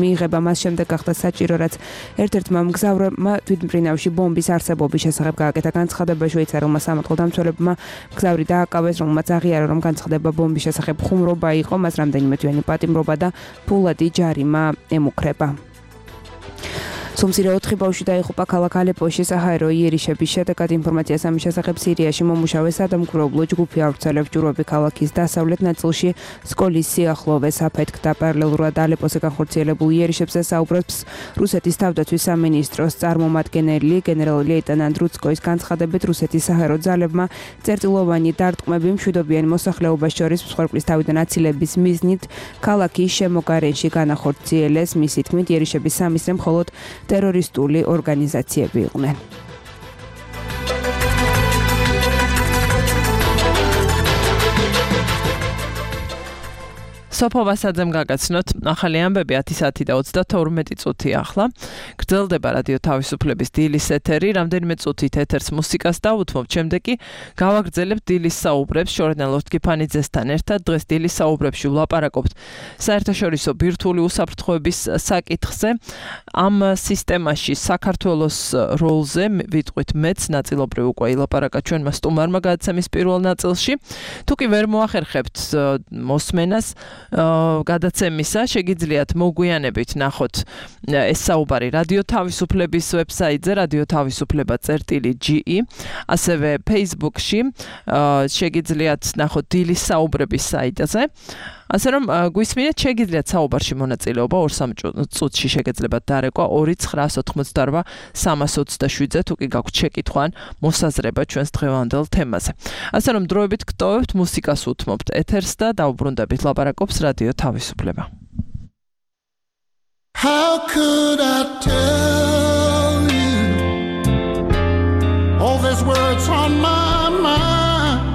მიღება მას შემდეგ გახდა საჭირო, რაც ერთ-ერთმა მგზავრმა თვითმფრინავში ბომბის არსებობის შესახებ გააკეთა. განცხადება შვეიცარიელმა სამართალდამცველებმა მგზავრი დააკავეს, რომელმაც აღიარა, რომ განცხადება ბომბის შესახებ ხუმრობა იყო, მას რამდენიმე თვიანი პატიმრობა და ფულადი ჯარიმა ემუქრება. სომსირე 4 ბავშვი დაიღუპა ქალაქ ალეპოში საჰაერო იერიშების შედეგად. ინფორმაციას ამის შესახებ სირიაში მომუშავე სადამკვირვებლო ჯგუფი ავრცელებს. ჯვრები ქალაქის დასავლეთ ნაწილში სკოლის სიახლოვეს აფეთქდა. პარალელურად ალეპოზე განხორციელებულ იერიშებზე საუბრობს რუსეთის თავდაცვის სამინისტროს წარმომადგენელი გენერალ-ლეიტენანტ რუცკოის განცხადებით, რუსეთის საჰაერო ძალებმა წერტილოვანი დარტყმები მშვიდობიან მოსახლეობას შორის მსხვერპლის თავიდან აცილების მიზნით ქალაქის შემოგარენში განახორციელეს. მისი თქმით, იერიშების სამისრე მხოლოდ ტერორისტული ორგანიზაციები იყვნენ. სოფო ვასაძემ გაგაცნოთ ახალი ამბები 10 საათი და 32 წუთი ახლა. გრძელდება რადიო თავისუფლების დილის ეთერი, რამდენიმე წუთით ეთერს მუსიკას დავუთმობთ, შემდეგ კი გავაგრძელებთ დილის საუბრებს შორნელ ორთქიფანიძესთან ერთად. დღეს დილის საუბრებში ვლაპარაკობთ საერთაშორისო ბირთვული უსაფრთხოების საკითხზე. ამ სისტემაში საქართველოს როლზე ვიტყვით მეც ნაწილობრივ უკვე ილაპარაკა ჩვენმა სტუმარმა გადაცემის პირველ ნაწილში. თუ კი ვერ მოახერხებთ მოსმენას გადაცემისა, შეგიძლიათ მოგვიანებით ნახოთ ეს საუბარი რადიო თავისუფლების ვებსაიტზე radio-tavisufleba.ge, ასევე Facebook-ში შეგიძლიათ ნახოთ დილის საუბრების საიტზე. ასე რომ გვისმინეთ, შეგიძლიათ საუბარში მონაწილეობა 2-3 წუთში შეგეძლებათ დარეკვა 2-999-327-ზე, თუ კი გაქვთ შეკითხვა ან მოსაზრება ჩვენს დღევანდელ თემაზე. ასე რომ დროებით გტოვებთ, მუსიკას უთმობთ ეთერს და დავუბრუნდებით, ლაპარაკობს რადიო თავისუფლება. How could I tell you all these words on my mind?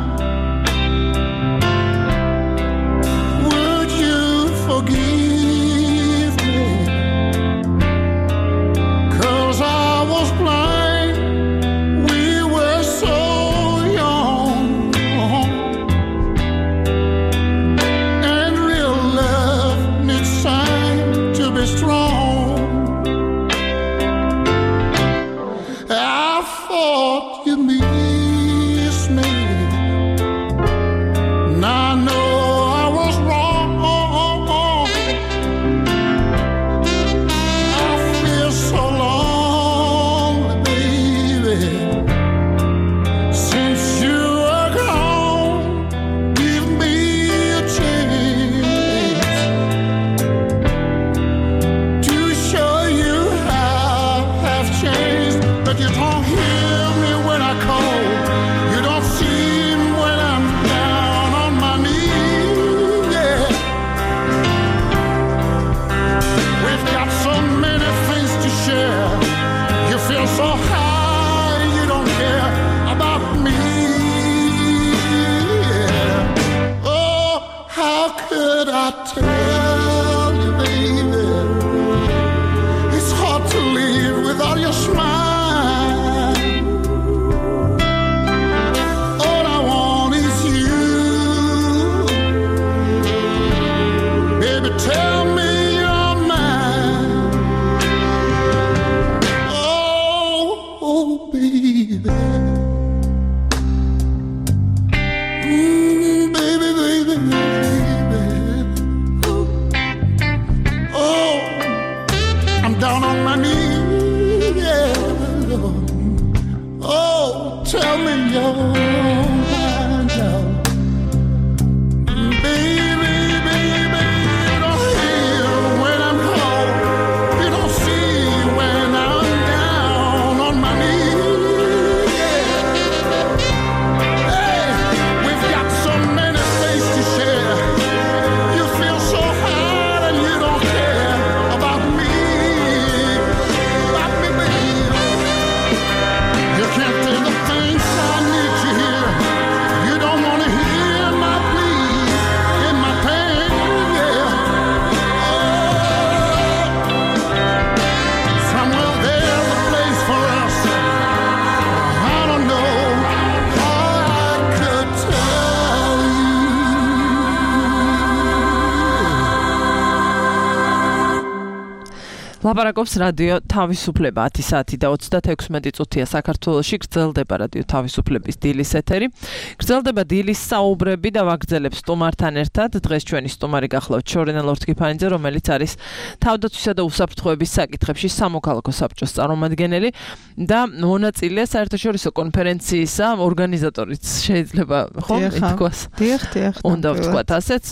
Would you forgive me? 'Cause I was blind, we were so young, and real love needs time to be strong. You don't hear me when I call. You don't see me when I'm down on my knees. Yeah. We've got so many things to share. You feel so high, you don't care about me. Yeah. Oh, how could I tell you, baby? It's hard to live without your smile. All I want is you. Baby, tell me you're mine. Oh, baby. Baby, baby, baby. Oh, I'm down on my knees. Yeah. Oh, tell me you're mine now. Baby, baby, you don't hear when I'm cold. You don't see when I'm down on my knees. Yeah. Hey, we've got so many things to share. You feel so hard and you don't care about me, baby. You can't tell the things I need to hear. You don't want to hear my plea in my pain, yeah. Oh, somewhere there's a place for us. I don't know how I could tell you. ლაპარაკობს რადიო თავისუფლება 10 საათი და 36 წუთია საქართველოში გრძელდება რადიო თავისუფლების დილის ეთერი. გრძელდება დილის საუბრები და ვაგრძელებს სტუმართან ერთად. დღეს ჩვენი სტუმარი გახლავთ შორენა ლორთქიფანიძე, რომელიც არის თავდაცვისა და უსაფრთხოების საკითხებში სამოქალაქო საბჭოს წარმომადგენელი და მონაწილეა საერთაშორისო კონფერენციისა ორგანიზატორიც შეიძლება ხო ითქვას. დიახ. უნდა ვთქვათ ასეც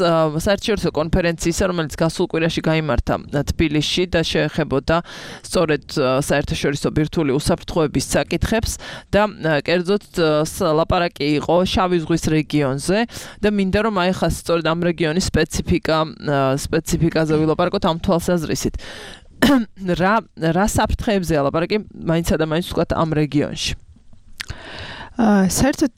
საერთაშორისო კონფერენციისა, რომელიც გასულ კვირაში გაიმართა თბილისში და შეეხებოდა სწორედ საერთაშორისო ბირთვული უსაფრთხოების საკითხებს და კერძოდ ლაპარაკი იყო შავი ზღვის რეგიონზე და მინდა რომ აი ხა სწორედ ამ რეგიონის სპეციფიკაზე ვილაპარაკოთ ამ თვალსაზრისით. რა საფრთხეებზეა ლაპარაკი მაინც და მაინც ვთქვათ ამ რეგიონში? საერთოდ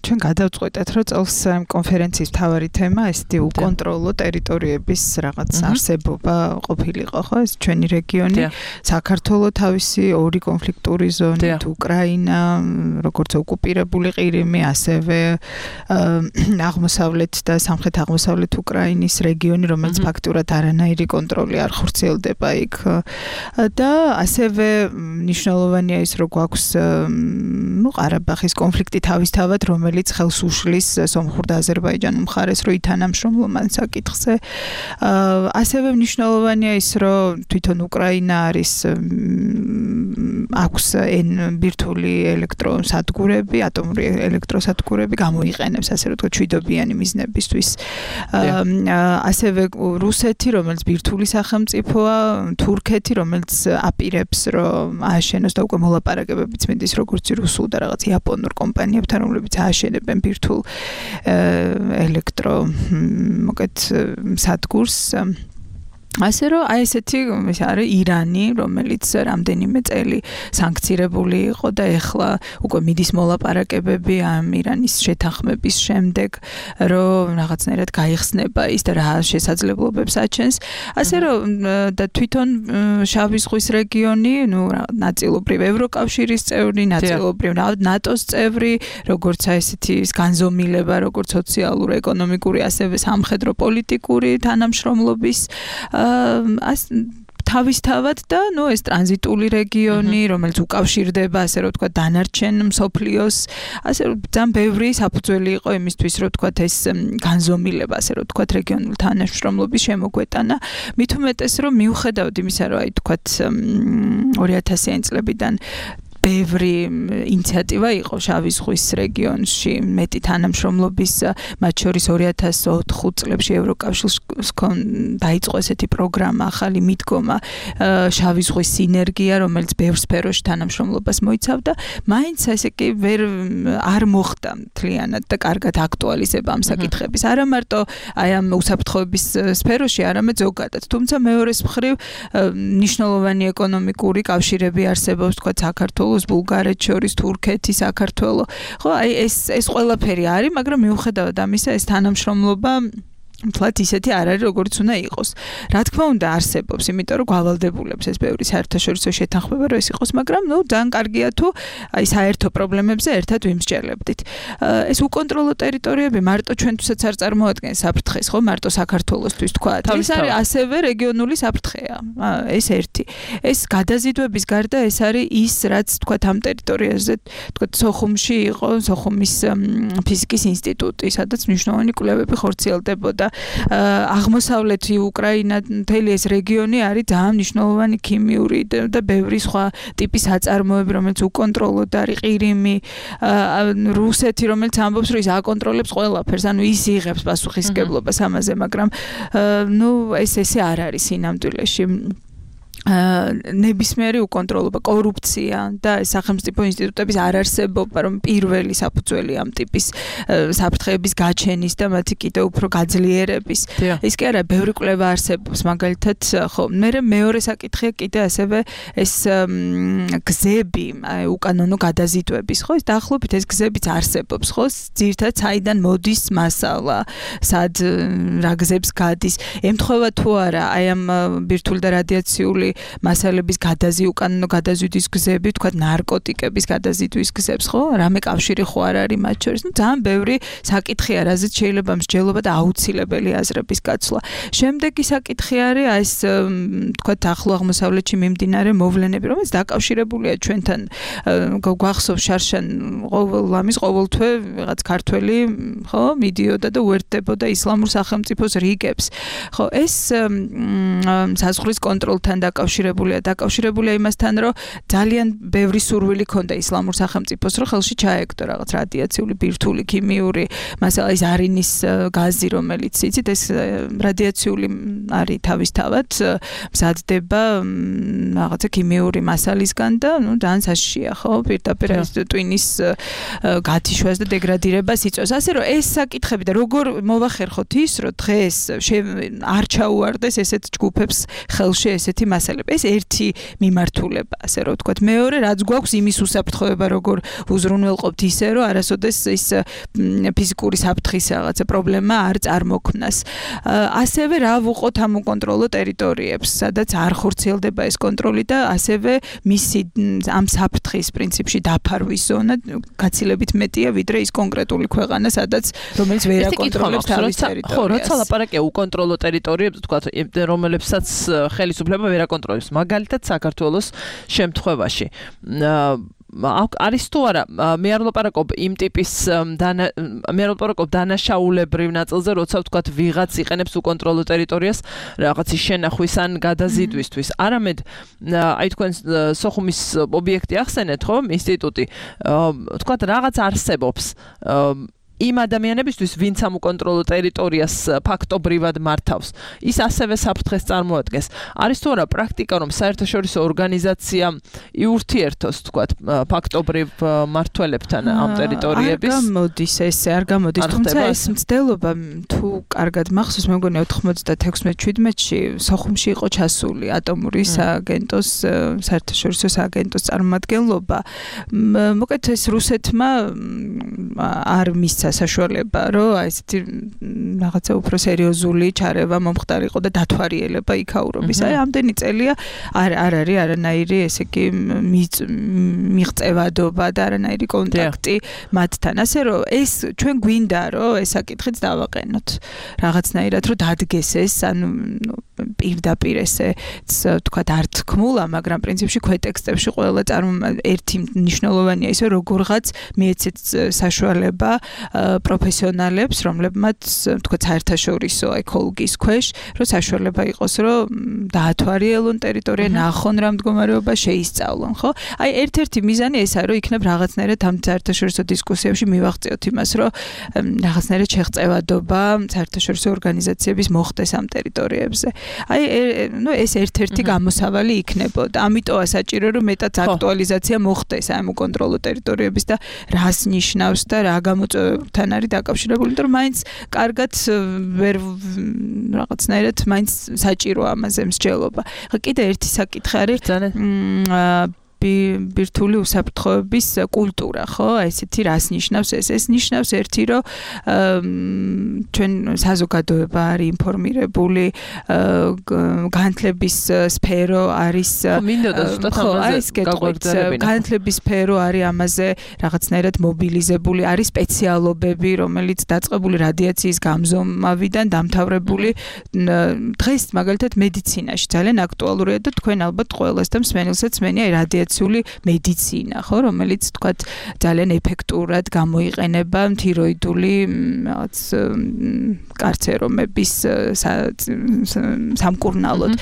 ჩვენ გადავწყვეტეთ, რომ წელს კონფერენციის მთავარი თემა ესეთი უკონტროლო ტერიტორიების რაღაც არსებობა ყოფილიყო, ხო? ეს ჩვენი რეგიონი, საქართველო თავისი ორი კონფლიქტური ზონით, უკრაინა, როგორც ოკუპირებული ყირიმი, ასევე აღმოსავლეთ და სამხრეთ-აღმოსავლეთ უკრაინის რეგიონი, რომელიც ფაქტურად არანაირი კონტროლი არ ხორციელდება იქ. და ასევე მნიშვნელოვანია ის, რომ გვაქვს ყარაბაღის კონფლიქტი თავისთავად, რომელიც ხელს უშლის სომხურ და აზერბაიჯანულ მხარეს, რომ ითანამშრომლონ ამ საკითხზე. ასევე მნიშვნელოვანია ის, რომ თვითონ უკრაინა არის აქვს ბირთვული ელექტროსადგურები, ატომური ელექტროსადგურები გამოიყენებს, ასე რომ თქვა ჩვიდობიანი მიზნებისთვის. ასევე რუსეთი, რომელიც ბირთვული სახელმწიფოა, თურქეთი, რომელიც აპირებს, რომ ააშენოს და უკვე მოლაპარაკებებიც მიდის როგორც რუსულ და რაღაც იაპონურ კომპანიებთან, რომლებიც ააშენებენ ბირთვულ ელექტრო სადგურს. ასე რომ აი ესეთი არის ირანი, რომელიც რამდენიმე წელი სანქცირებული იყო და ეხლა უკვე მიდის მოლაპარაკებები ამ ირანის შეთანხმების შემდეგ, რომ რაღაცნაირად გაიხსნება ის და რა შესაძლებლობებს აჩენს. ასე რომ და თვითონ შავი ზღვის რეგიონი, ნაწილობრივ ევროკავშირის წევრი, ნაწილობრივ ნატოს წევრი, როგორც აი ესეთი განზომილება, როგორც სოციალურ, ეკონომიკური, ასევე სამხედრო პოლიტიკური თანამშრომლობის თავისთავად და ეს ტრანზიტული რეგიონი, რომელიც უკავშირდება, ასე რომ ვთქვათ, დანარჩენ მსოფლიოს, ასე რომ ძალიან ბევრი საფუძველი იყო იმისთვის, რომ ვთქვათ, ეს განზომილება, ასე რომ ვთქვათ, რეგიონული თანამშრომლობის შემოგვეტანა. მით უმეტეს, რომ მიუხედავად იმისა, რომ აი ვთქვათ 2000-იანი წლებიდან ბევრი ინიციატივა იყო შავი ზღვის რეგიონში მეტი თანამშრომლობის მათ შორის 2004 წლებში ევროკავშირს დაიწყო ესეთი პროგრამა ახალი მიდგომა შავი ზღვის სინერგია რომელიც ბევრ სფეროში თანამშრომლობას მოიცავდა მაინც ესე კი არ მოხდა მთლიანად და კარგად აქტუალიზება ამ საკითხების არა მარტო აი ამ უსაფრთხოების სფეროში არამედ ზოგადად თუმცა მეორეს მხრივ ნიშნულოვანი ეკონომიკური კავშირები არსებობს თქვა საქართველოს ბულგარეთს შორის თურქეთი საქართველო ხო აი ეს ყველაფერი არის მაგრამ მიუხედავად ამისა ეს თანამშრომლობა მთლად ისეთი არ არის როგორც უნდა იყოს რა თქმა უნდა არსებობს იმიტომ რომ გვალდებულებს ეს ბევრი საერთაშორისო შეთანხმება რომ ეს იყოს მაგრამ ძალიან კარგია თუ აი საერთო პრობლემებზე ერთად ვიმსჯელებდით ეს უკონტროლო ტერიტორიები მარტო ჩვენთვისაც არ წარმოადგენს საფრთხეს ხო მარტო საქართველოსთვის თქვა ეს არის ასევე რეგიონული საფრთხეა ეს ერთი ეს გადაზიდვების გარდა ეს არის ის რაც თქვა ამ ტერიტორიაზე თქვა სოხუმში იყო სოხუმის ფიზიკის ინსტიტუტი სადაც მნიშვნელოვანი კვლევები ხორციელდებოდა აღმოსავლეთი უკრაინა მთელი ეს რეგიონი არის ძალიან მნიშვნელოვანი ქიმიური და ბევრი სხვა ტიპის აწარმოები რომელიც უკონტროლოდ არის ყირიმი რუსეთი რომელიც ამბობს რომ ის აკონტროლებს ყველაფერს ანუ ის იღებს პასუხისმგებლობას ამაზე მაგრამ ესე არ არის სინამდვილეში ნებისმიერი უკონტროლობა, კორუფცია და სახელმწიფო ინსტიტუტების არარსებობა, რომ პირველი საფუძველი ამ ტიპის საფრთხეების გაჩენის და მათი კიდევ უფრო გაძლიერების. ის კი არა, ბევრი კვლევა არსებობს, მაგალითად, ხო, მეორე საკითხია კიდე ასევე ეს გზები, უკანონო გადაზიდვების, ხო, ეს დაახლოებით ეს გზებიც არსებობს, ხო, ძირითადად საიდან მოდის მასალა, სად რა გზებს გადის, ემთხვევა თუ არა, აი ამ ბირთვული და რადიაციული მასალების უკანონო გადაზიდვის გზები, თქვა ნარკოტიკების გადაზიდვის გზებს, ხო? რამე კავშირი ხო არ არის მათ შორის? ძალიან ბევრი საკითხია, რაზეც შეიძლება მსჯელობა და აუცილებელი აზრების გაცვლა. შემდეგი საკითხი არის ეს, თქვა ახლო აღმოსავლეთში მიმდინარე მოვლენები, რომელიც დაკავშირებულია ჩვენთან. გვახსოვს შარშან ყოველთვე რაღაც ქართველი, ხო, მიდიოდა და უერთდებოდა ისლამურ სახელმწიფოს რიგებს. ხო, ეს საზღვრის კონტროლთან დაკავშირებულია იმასთან, რომ ძალიან ბევრი სურვილი ქონდა ისლამურ სახელმწიფოს, რომ ხელში ჩაეგდო რაღაც რადიაციული, ბირთვული, ქიმიური, მასალა ის არინის გაზი, რომელიც იცით, ეს რადიაციული არის თავისთავად მზადდება რაღაცა ქიმიური მასალისგან და ძალიან საშიშია, ხო, პირდაპირ ეს ტვინის გათიშვას და დეგრადირებას იწვევს. ასე რომ ეს საკითხები და როგორ მოვახერხოთ ის, რომ დღეს არ ჩაუვარდეს ესეთ ჯგუფებს ხელში ესეთი მასალები. ეს ერთი მიმართულება, ასე რომ ვთქვათ. მეორე, რაც გვაქვს იმის უსაფრთხოება, როგორ უზრუნველყოფთ ისე, რომ არასოდეს ის ფიზიკური საფრთხის რაღაცა პრობლემა არ წარმოქმნას. ასევე რა ვუყოთ ამ უკონტროლო ტერიტორიებს, სადაც არ ხორციელდება ეს კონტროლი და ასევე მისი ამ საფრთხის პრინციპში დაფარვის ზონა გაცილებით მეტია, ვიდრე ის კონკრეტული ქვეყანა, სადაც რომელიც ვერ აკონტროლებს თავის ტერიტორიას. ხო, როცა ლაპარაკია უკონტროლო ტერიტორიებზე, ვთქვათ, რომელებსაც ხელისუფლება ვერ აკონტროლებს, მაგალითად საქართველოს შემთხვევაში. არის თუ არა, მე არ ვლაპარაკობ იმ ტიპის მე არ ვლაპარაკობ დანაშაულებრივ ნაწილზე, როცა ვთქვათ ვიღაც იყენებს უკონტროლო ტერიტორიას რაღაცის შენახვის ან გადაზიდვისთვის. არამედ აი თქვენ სოხუმის ობიექტი ახსენეთ, ხო, ინსტიტუტი. ვთქვათ რაღაც არსებობს იმ ადამიანებისთვის, ვინც ამ უკონტროლო ტერიტორიას ფაქტობრივად მართავს, ის ასევე საფრთხეს წარმოადგენს. არის თუ არა პრაქტიკა, რომ საერთაშორისო ორგანიზაცია იურთიერთოს, თქვათ, ფაქტობრივ მმართველებთან ამ ტერიტორიების? არ გამოდის, თუმცა ეს მცდელობა თუ კარგად მახსოვს, მე მგონია 96-17-ში სოხუმში იყო ჩასული ატომური სააგენტოს, საერთაშორისო სააგენტოს წარმომადგენლობა. მოკეთ ეს რუსეთმა არ მისცა საშუალება, რომ ესეთი რაღაცა უფრო სერიოზული ჩარევა მომხდარიყო და დათვალიერება იქაურობის. აი ამდენი წელია არ არის არანაირი ესე იგი მიღწევადობა და არანაირი კონტაქტი მათთან. ასე რომ ეს ჩვენ გვინდა რომ ეს საკითხიც დავაყენოთ. რაღაცნაირად რომ დადგეს ეს, ანუ პირდაპირ ესე თქვა არ თქმულა, მაგრამ პრინციპში ქვეტექსტებში ყველა ერთი მნიშვნელოვანია ისე როგორღაც მიეცეთ საშუალება პროფესიონალებს, რომლებმაც თქვა საერთაშორისო ეკოლოგიის ქვეშ, რომ საშუალება იყოს, რომ დაათვალიერონ ტერიტორია, ნახონ რა მდგომარეობა, შეისწავლონ, ხო? აი ერთ-ერთი მიზანი ესაა, რომ იქნებ რაღაცნაირად ამ საერთაშორისო დისკუსიებში მივაღწიოთ იმას, რომ რაღაცნაირად შეღწევადობა საერთაშორისო ორგანიზაციების მოხდეს ამ ტერიტორიებზე. აი ეს ერთ-ერთი გამოსავალი იქნებოდა. ამიტომა საჭირო რომ მეტად აქტუალიზაცია მოხდეს ამ უკონტროლო ტერიტორიების და რას ნიშნავს და რა გამოწვევებთან არის დაკავშირებული, იმიტომ რომ მაინც კარგად ვერ რაღაცნაირად მაინც საჭირო ამაზე მსჯელობა. კიდე ერთი საკითხი არის ბირთვული უსაფრთხოების კულტურა, ხო? ესეთი რას ნიშნავს ეს? ეს ნიშნავს ერთი, რომ ჩვენ საზოგადოება არის ინფორმირებული, განათლების სფერო არის განათლების სფერო არის ამაზე რაღაცნაირად მობილიზებული, არის სპეციალობები, რომელიც დაწყებული რადიაციის გამზომავიდან დამთავრებული დღეს მაგალითად მედიცინაში ძალიან აქტუალურია და თქვენ ალბათ ყველას და მსმენელსაც მენია რადიაცია მედიცინა, ხო, რომელიც თქვათ ძალიან ეფექტურად გამოიყენება თიროიდული რაღაც კარცერომების სამკურნალოდ.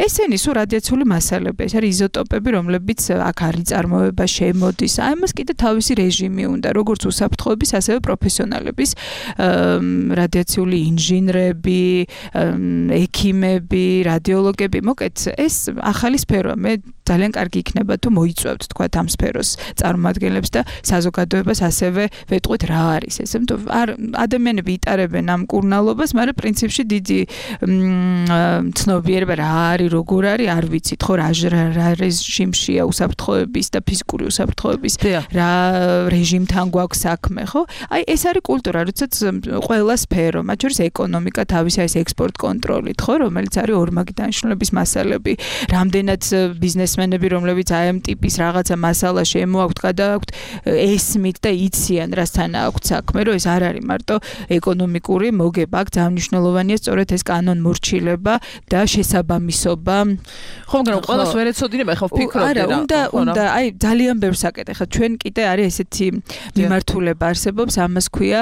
ესენი სულ რადიაციული მასალები, ეს არის იზოტოპები, რომლებიც აქ არის წარმოება შემოდის. აი მას კიდე თავისი რეჟიმი უნდა, როგორც უსაფრთხოების, ასევე პროფესიონალების, რადიაციული ინჟინრები, ექიმები, რადიოლოგები, მოკეთ, ეს ახალი სფეროა. მე ძალიან კარგი იქნება თუ მოიწვევთ თქვათ ამ სფეროს წარმომადგენლებს და საზოგადოებას ასევე ვეტყვით რა არის ეს. ადამიანები იტარებენ ამ კურნალობას, მაგრამ პრინციპში დიდი ცნობიერება რა არის, როგორ არის, არ ვიცით, ხო, რა რეჟიმშია უსაფრთხოების და ფიზიკური უსაფრთხოების, რა რეჟიმთან გვაქვს საქმე, ხო? აი ეს არის კულტურა, როდესაც ყველა სფერო, მათ შორის ეკონომიკა, თავისი ეს ექსპორტ კონტროლით, ხო, რომელიც არის ორმაგი დანიშნულების მასალები, რამდენად ბიზნესმენები, რომლებიც აი ამ ტიპის რაღაცა მასალა შემოაქვთ, გადააქვთ, ესმით და იციან რასთან აქვთ საქმე, რომ ეს არ არის მარტო ეკონომიკური მოგება, აქ ძალიან მნიშვნელოვანია სწორედ ეს კანონმორჩილება და შესაბამისობა. ხო, მაგრამ ყველას ვერ ეცოდინება, ხო ვფიქრობდი რა. უნდა, აი ძალიან ბევრ საკითხი, ხო, ჩვენ კიდე არის ესეთი მიმართულება არსებობს, ამას ქვია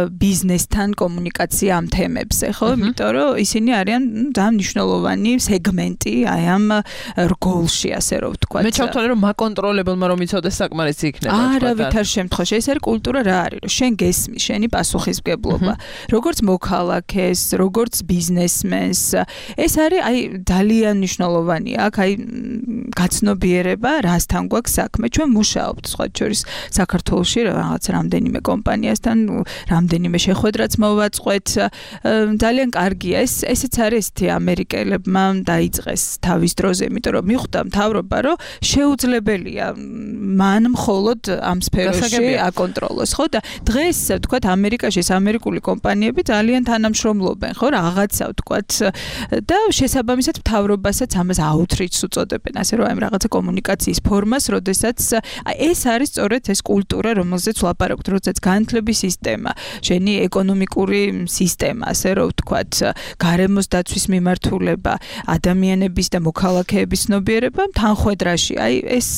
ბიზნესთან კომუნიკაცია ამ თემებზე, ხო? იმიტომ რომ ისინი არიან ძალიან მნიშვნელოვანი სეგმენტი აი ამ რგოლში, ასე რომ ვთქვა. მე ჩავთვალე რომ მაკონტროლებელმა რომ იცოდეს საკმარისი იქნება. არავითარ შემთხვევაში ეს არის კულტურა რა არის, რომ შენ გესმის, შენი პასუხისმგებლობა, როგორც მოქალაქეს, როგორც ბიზნესმენს, ეს არის აი ძალიან მნიშვნელოვანია. აქ აი გაცნობიერება, რასთან გვაქვს საქმე. ჩვენ მუშაობთ სხვა შორის საქართველოში რაღაც რამდენიმე კომპანიასთან, რამდენიმე შეხვედრაც მოვაწყვეთ. ძალიან კარგია. ესეც არის ესეთი ამერიკელებმა დაიწყეს თავის დროზე, იმიტომ რომ მიხვდა მთავრობა, რომ შეუძლებელია მან მხოლოდ ამ სფეროში აკონტროლოს, ხო? და დღეს ვთქვათ ამერიკაში ეს ამერიკული კომპანიები ძალიან თანამშრომლობენ, ხო? რაღაცა ვთქვათ და შესაბამისად მთავრობასაც ამას outreach უწოდებენ, ასე რომ აი რაღაცა კომუნიკაციის ფორმას, როდესაც ეს არის სწორედ ეს კულტურა, რომელზეც ვლაპარაკობთ, როდესაც განათლების სისტემა, შენი ეკონომიკური სისტემა, ასე რომ ვთქვათ, გარემოს დაცვის მიმართულება, ადამიანების და მოქალაქეების ცნობიერება თანხვედრაში. აი ეს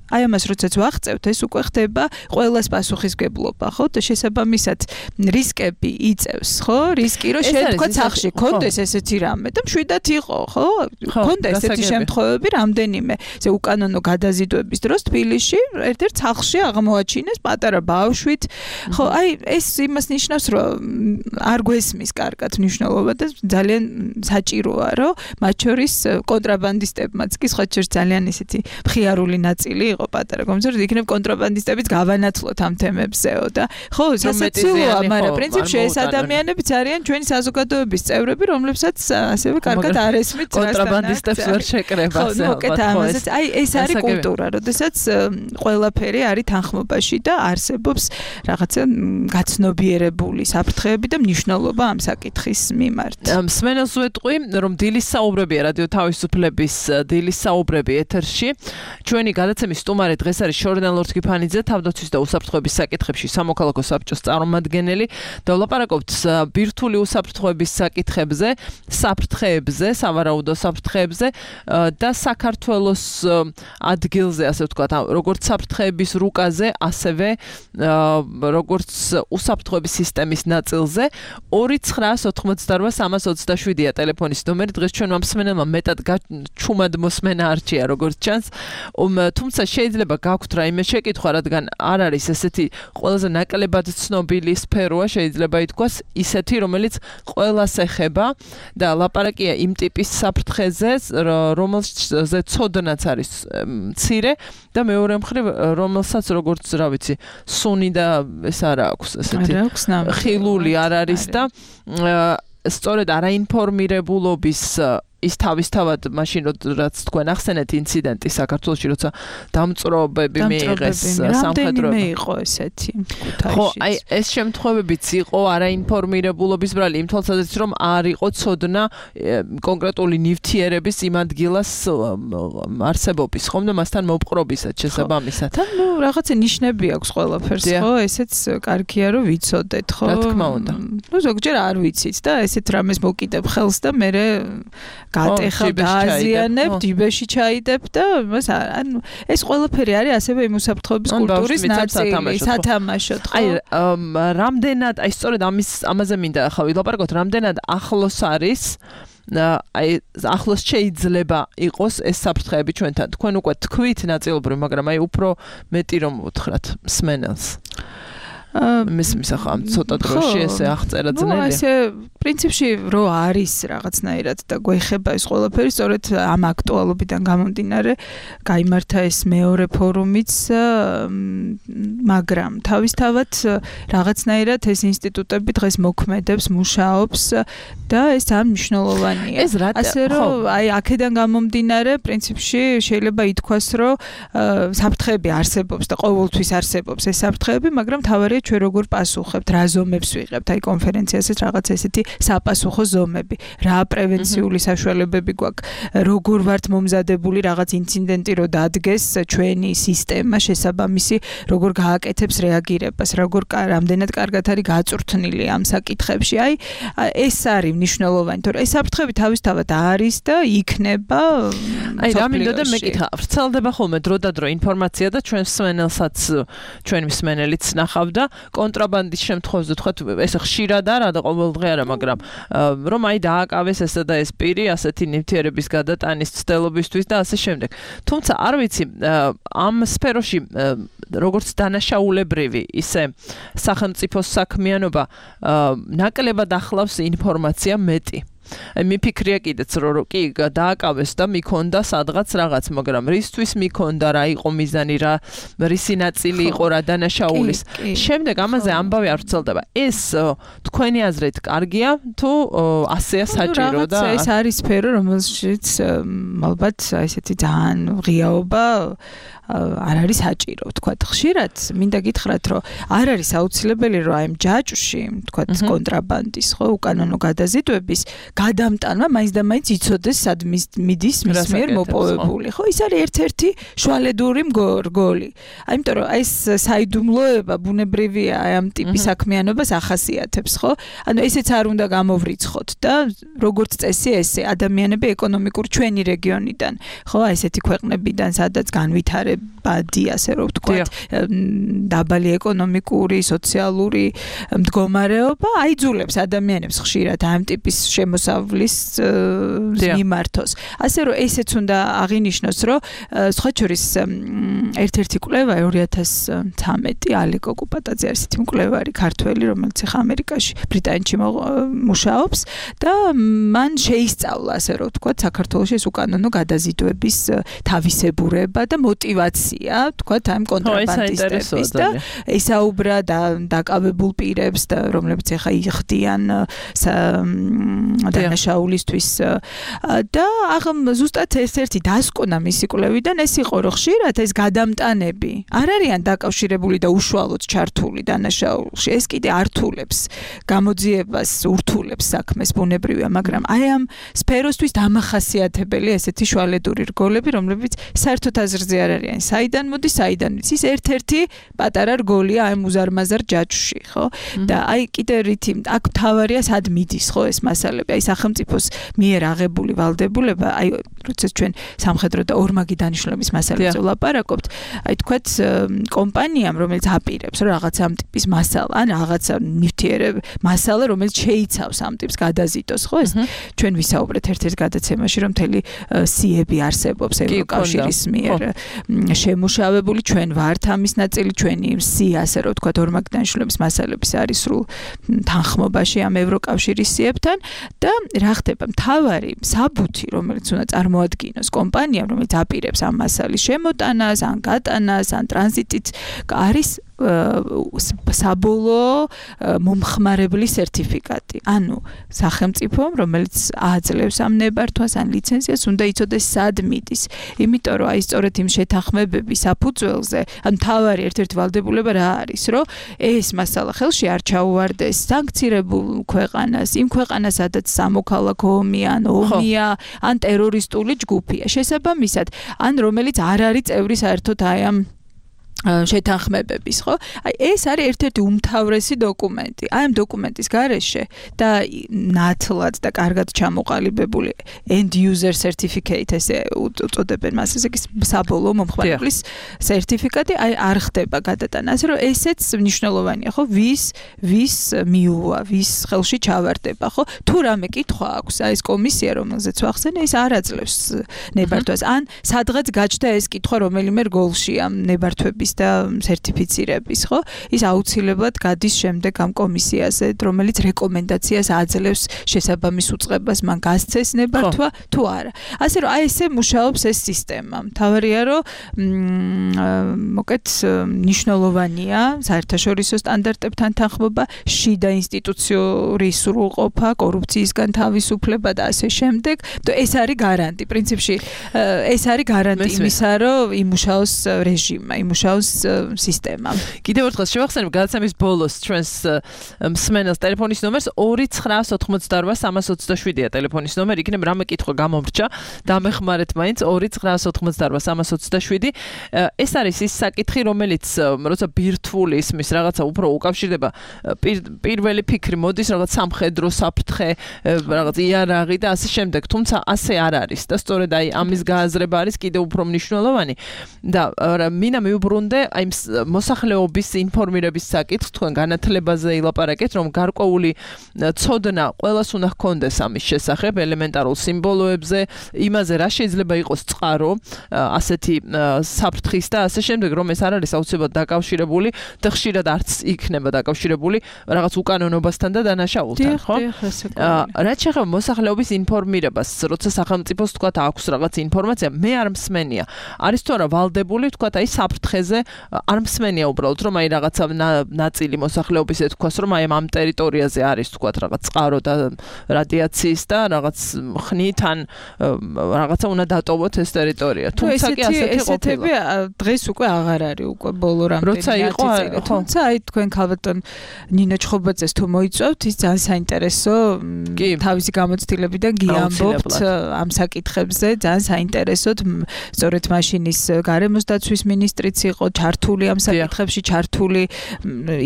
აი ამას როდესაც ვაღწევთ, ეს უკვე ხდება ყველას პასუხისმგებლობა, ხო? და შესაბამისად რისკები იწევს, ხო? რისკი რომ შენ თქვა სახში კონდეს ესეთი რამე და მშვიდად იყო, ხო? კონდა ესეთი შემთხვევები რამდენიმე. ზე უკანონო გადაზიდვების დროს თბილისში ერთ-ერთ სახში აღმოაჩინეს პატარა ბავშვით. ხო, აი ეს იმას ნიშნავს, რომ არ გვესმის კარგად მნიშვნელობა და ძალიან საჭიროა, რომ მათ შორის კონტრაბანდისტებმაც კი სხვა შორის ძალიან ისეთი მხიარული ნაწილი იყო პატარა კომისარიატი, იქნებ კონტრაბანდისტებიც გავანაცვლოთ ამ თემებზეო და ხო, სასაცილოა, მაგრამ პრინციპში ეს ადამიანებიც არიან ჩვენი საზოგადოების წევრები, რომლებსაც ასევე კარგად არ ესმით კონტრაბანდისტებს ვერ შეკრება ასე ალბათ. აი ეს არის კულტურა, როდესაც ყველაფერი არის თანხმობაში და არსებობს რაღაცა გაცნობიერებული საფრთხეები და მნიშვნელობა ამ საკითხის მიმართ. მსმენელს ვეტყვი, რომ დილის საუბრებია რადიო თავისუფლების დილის საუბრები ეთერში. ჩვენი გადაცემის სტუმარი დღეს ეს არის შორიდან ლორდ კიფანიძე, თავდაცვის და უსაფრთხოების საკითხებში სამოქალაქო საბჭოს წარმომადგენელი და ვლაპარაკობთ ბირთვული უსაფრთხოების საკითხებზე, საფრთხეებზე, სავარაუდო საფრთხეებზე და საქართველოს ადგილზე, ასე ვთქვათ, როგორც საფრთხეების რუკაზე, ასევე როგორც უსაფრთხოების სისტემის ნაწილზე 2988327-ია ტელეფონის ნომერი. დღეს ჩვენმა მსმენელმა მეტად ჩუმად მოსმენა არჩია, როგორც ჩანს. თუმცა შეიძლება გაქვთ რაიმე შეკითხვა, რადგან არ არის ესეთი ყველაზე ნაკლებად ცნობილი სფეროა, შეიძლება ითქვას, ისეთი, რომელიც ყველას ეხება და ლაპარაკია იმ ტიპის საფრთხეზე, რომელზეც ცოდნაც არის მცირე და მეორე მხრივ, რომელსაც როგორც რა ვიცი, სუნი და ეს არ აქვს ესეთი ხილული არ არის და სწორედ არაინფორმირებულობის ის თავისთავად მაშინ რაც თქვენ ახსენეთ ინციდენტი საქართველოში, როცა დამწრობები მიიღეს სამხედრო იყო ესეთი ქუთაისში. ხო, აი ეს შემთხვევებიც იყო არაინფორმირებულობის ბრალი, იმ თვალსაზრისით რომ არ იყო ცოდნა კონკრეტული ნივთიერების იმ ადგილას არსებობის, ხომ და მასთან მოპყრობისად შესაბამისად. და ნუ რაღაცა ნიშნები აქვს ყველაფერს, ხო? ესეც კარგია რომ ვიცოდეთ, ხო? რა თქმა უნდა. ნუ ზოგჯერ არ ვიცით და ესეთ რამეს მოკიდებ ხელს და მე გატეხავ დააზიანებ, ჯიბეში ჩაიდებ და ანუ ეს ყველაფერი არის ასევე იმ უსაფრთხოების კულტურის ნაწილი, სათამაშოდ, ხო? აი, რამდენად, აი სწორედ ამაზე მინდა ახლა ვილაპარაკოთ, რამდენად ახლოს არის აი ახლოს შეიძლება იყოს ეს საფრთხეები ჩვენთან. თქვენ უკვე თქვით ნაწილობრივ, მაგრამ აი უფრო მეტი რომ უთხრათ მსმენელს. მის ახლა ცოტა დროში ესე აღწერა ძნელია. ნუ ესე პრინციპში რო არის რაღაცნაირად და გვეხება ეს ყველაფერი, სწორედ ამ აქტუალობიდან გამომდინარე, გაიმართა ეს მეორე ფორუმიც, მაგრამ თავისთავად რაღაცნაირად ეს ინსტიტუტები დღეს მოქმედებს, მუშაობს და ეს ამ მნიშვნელოვანია. ასე რომ აი აქედან გამომდინარე, პრინციპში შეიძლება ითქვას, რომ საფრთხეები არსებობს და ყოველთვის არსებობს ეს საფრთხეები, მაგრამ თავარია ჩვენ როგორ პასუხებთ, რა ზომებს ვიღებთ, აი კონფერენციასაც რაღაც ესეთი საპასუხო ზომები, რა პრევენციული საშუალებები გვაქვს, როგორ ვართ მომზადებული რაღაც ინციდენტი რო დადგეს ჩვენი სისტემა შესაბამისი, როგორ გააკეთებს რეაგირებას, როგორ რამდენად კარგად არის გაწვრთნილი ამ საკითხებში. აი ეს არის მნიშვნელოვანი, თორე ეს საფრთხები თავისთავად არის და იქნება. აი რა მინდოდა მეკითხა, ვრცელდება ხოლმე დროდადრო ინფორმაცია და ჩვენ მსმენელსაც, ჩვენი მსმენელიც ნახავდა კონტრაბანდის შემთხვევაში, თქვათ, ეს ხშირად არა და ყოველდღე არა, მაგრამ რომ აი დააკავეს ესა და ეს პირი ასეთი ნივთიერების გადატანის ცდელობისთვის და ასე შემდეგ. თუმცა არ ვიცი, ამ სფეროში როგორც დანაშაულებრივი, ისე სახელმწიფოს საქმიანობა ნაკლებად ახლავს ინფორმაცია მეტი. მიფიქრია კიდეც რომ კი დააკავეს და მიქონდა სადღაც რაღაც, მაგრამ რისთვის მიქონდა, რა იყო მიზანი, რა რისი ნაწილი იყო რა დანაშაულის. შემდეგ ამაზე ამბავი არ ვრცელდება. ეს თქვენი აზრით კარგია თუ ასეა საჭირო და ეს არის სფერო, რომელშიც ალბათ ესეთი ძალიან ღიაობა არ არის საჭირო, ვთქვათ, ხშირად მინდა გითხრათ, რომ არ არის აუცილებელი, რომ აი ამ ჯაჭვში, ვთქვათ, კონტრაბანდის, ხო, უკანონო გადაზიდვების გადამტანვა მაინც და მაინც იცოდეს სად მიდის მის მიერ მოპოვებული, ხო? ის არის ერთ-ერთი შვალედური რგოლი. აიმიტომ რომ ეს საიდუმლოება ბუნებრივია აი ამ ტიპის საქმიანობას ახასიათებს, ხო? ანუ ესეც არ უნდა გამოვრიცხოთ და როგორც წესი ესე ადამიანები ეკონომიკურ ჩვენი რეგიონიდან, ხო, აი ესეთი ქვეყნებიდან, სადაც განვითარებადი, ასე რომ ვთქვათ, დაბალი ეკონომიკური, სოციალური მდგომარეობა აიძულებს ადამიანებს ხშირად ამ ტიპის შემოსავლის მიმართოს. ასე რომ ესეც უნდა აღინიშნოს, რომ სხვა შორის ერთ-ერთი კვლევა 2013 ალეკო კუპატაძე არის ისეთი მკვლევარი ქართველი, რომელიც ახლა ამერიკაში, ბრიტანეთში მუშაობს და მან შეისწავლა, ასე რომ ვთქვათ, საქართველოს ეს უკანონო გადაზიდვების თავისებურება და мотивация, ვთქვათ, ამ კონტრაბანდისტების და ესაუბრა და დაკავებულ პირებს და რომლებიც ახლა იხდიან და დანაშაულისთვის და ზუსტად ერთ-ერთი დასკვნა მისი კვლევიდან ეს იყო, რომ ხშირად ეს გადამტანები არ არიან დაკავშირებული და უშუალოდ ჩართული დანაშაულში. ეს კიდე ართულებს გამოძიებას, ურთულებს საქმეს ბუნებრივია, მაგრამ აი ამ სფეროსთვის დამახასიათებელი ესეთი შუალედური რგოლები, რომლებიც საერთოდ აზრზე არ არიან. საიდან მოდის, საიდან ვიცი, ის ერთ-ერთი პატარა რგოლია ამ უზარმაზარ ჯაჭვში, ხო? და აი კიდე რითი აქ თავარია სად მიდის, ხო, ეს მასალები. აი სახელმწიფოს მიერ აღებული ვალდებულება, აი როცა ჩვენ სამხედრო და ორმაგი დანიშნულების მასალებზე ვლაპარაკობთ, აი თქვათ კომპანიამ, რომელიც აპირებს, რომ რაღაცა ამ ტიპის მასალა, ან რაღაცა ნივთიერებ მასალა, რომელიც შეიცავს ამ ტიპს გადაზიდოს, ხო, ეს ჩვენ ვისაუბრეთ ერთ-ერთ გადაცემაში, რომ მთელი სიები არსებობს ევროკავშირის მიერ შემუშავებული, ჩვენ ვართ ამის ნაწილი, ჩვენი სი, ასე რომ ვთქვათ, ორმაგი დანიშნულების მასალების არის სრულ თანხმობაში ამ ევროკავშირის სიებთან და რა ხდება, მთავარი საბუთი, რომელიც უნდა წარმოადგინოს კომპანიამ, რომელიც აპირებს ამ მასალის შემოტანას, ან გატანას, ან ტრანზიტით, არის საბოლოო მომხმარებლის სერტიფიკატი. ანუ სახელმწიფომ, რომელიც აძლევს ამ ნებართვას ან ლიცენზიას, უნდა იცოდეს სად მიდის. იმიტომ რომ აი სწორედ იმ შეთანხმებების საფუძველზე, ან მთავარი ერთ-ერთი ვალდებულება რა არის, რომ ეს მასალა ხელში არ ჩაუვარდეს სანქცირებულ ქვეყანას, იმ ქვეყანას, სადაც სამოქალაქო ომია, ან ომია, ან ტერორისტული ჯგუფია. შესაბამისად, ან რომელიც არ არის წევრი საერთოდ აი ამ შეთანხმებების, ხო? აი ეს არის ერთ-ერთი უმთავრესი დოკუმენტი. აი ამ დოკუმენტის გარეშე და ნათლად და კარგად ჩამოყალიბებული end user certificate ესე უწოდებენ მას, ესე იგი საბოლოო მომხმარებლის სერტიფიკატი, აი არ ხდება გადატანა. ასე რომ ესეც მნიშვნელოვანია, ხო? ვის მიუვა, ვის ხელში ჩავარდება, ხო? თუ რამე კითხვა აქვს, აი ეს კომისია, რომელზეც ვახსენე, ის არ აძლევს ნებართვას. ან სადღაც გაჩნდა ეს კითხვა რომელიმე რგოლში ამ ნებართვების და სერტიფიცირების, ხო? ის აუცილებლად გადის შემდეგ ამ კომისიაზე, რომელიც რეკომენდაციას აძლევს შესაბამის უწყებას, მან გასცეს ნებართვა თუ არა. ასე რომ აი ესე მუშაობს ეს სისტემა. მთავარია რომ მოკეთ მნიშვნელოვანია საერთაშორისო სტანდარტებთან თანხმობა, შიდა ინსტიტუციური სრულყოფა, კორუფციისგან თავისუფლება და ასე შემდეგ. და ეს არის გარანტი. პრინციპში ეს არის გარანტი იმისა, რომ იმუშაოს რეჟიმა, იმუშაოს სისტემა. კიდევ ერთხელ შევახსენებ გადაცემის ბოლოს ჩვენს მსმენელს ტელეფონის ნომერს 2988327-ია ტელეფონის ნომერი, იქნებ რამე კითხვა გამომრჩა, დამეხმარეთ მაინც 2988327. ეს არის ის საკითხი, რომელიც როცა ბირთვული ისმის რაღაცა უფრო უკავშირდება პირველი ფიქრი მოდის რაღაც სამხედრო საფრთხე, რაღაც იარაღი და ასე შემდეგ, თუმცა ასე არ არის და სწორედ აი ამის გააზრება არის კიდევ უფრო მნიშვნელოვანი და მინდა მიუბრუნდე აი მოსახლეობის ინფორმირების საკითხს, თქვენ განათლებაზე ილაპარაკეთ, რომ გარკვეული ცოდნა ყველას უნდა ჰქონდეს ამის შესახებ, ელემენტარულ სიმბოლოებზე, იმაზე რა შეიძლება იყოს წყარო ასეთი საფრთხის და ასე შემდეგ, რომ ეს არ არის აუცილებლად დაკავშირებული და ხშირად არც იქნება დაკავშირებული რაღაც უკანონობასთან და დანაშაულთან, ხო? რაც შეეხება მოსახლეობის ინფორმირებას, როცა სახელმწიფოს თქვა აქვს რაღაც ინფორმაცია, მე არ მსმენია. არის თუ არა ვალდებული თქვა აი საფრთხეზე არ მსმენია უბრალოდ, რომ აი რაღაცა ნაწილი მოსახლეობის ეთქვას, რომ აი ამ ტერიტორიაზე არის თქვა რაღაც წყარო და რადიაციის და რაღაც ხნით ან რაღაცა უნდა დატოვოთ ეს ტერიტორია. თუმცა კი ასეთი ყოფილა. დღეს უკვე აღარ არის უკვე ბოლო რამდენი წელი. თუმცა აი თქვენ ქალბატონ ნინო ჩხობაძეს თუ მოიწვევთ, ის ძალიან საინტერესო თავისი გამოცდილებიდან გიამბობთ ამ საკითხებზე, ძალიან საინტერესოდ, სწორედ მაშინ ის გარემოს დაცვის მინისტრიც იყო ჩართული ამ საკითხებში, ჩართული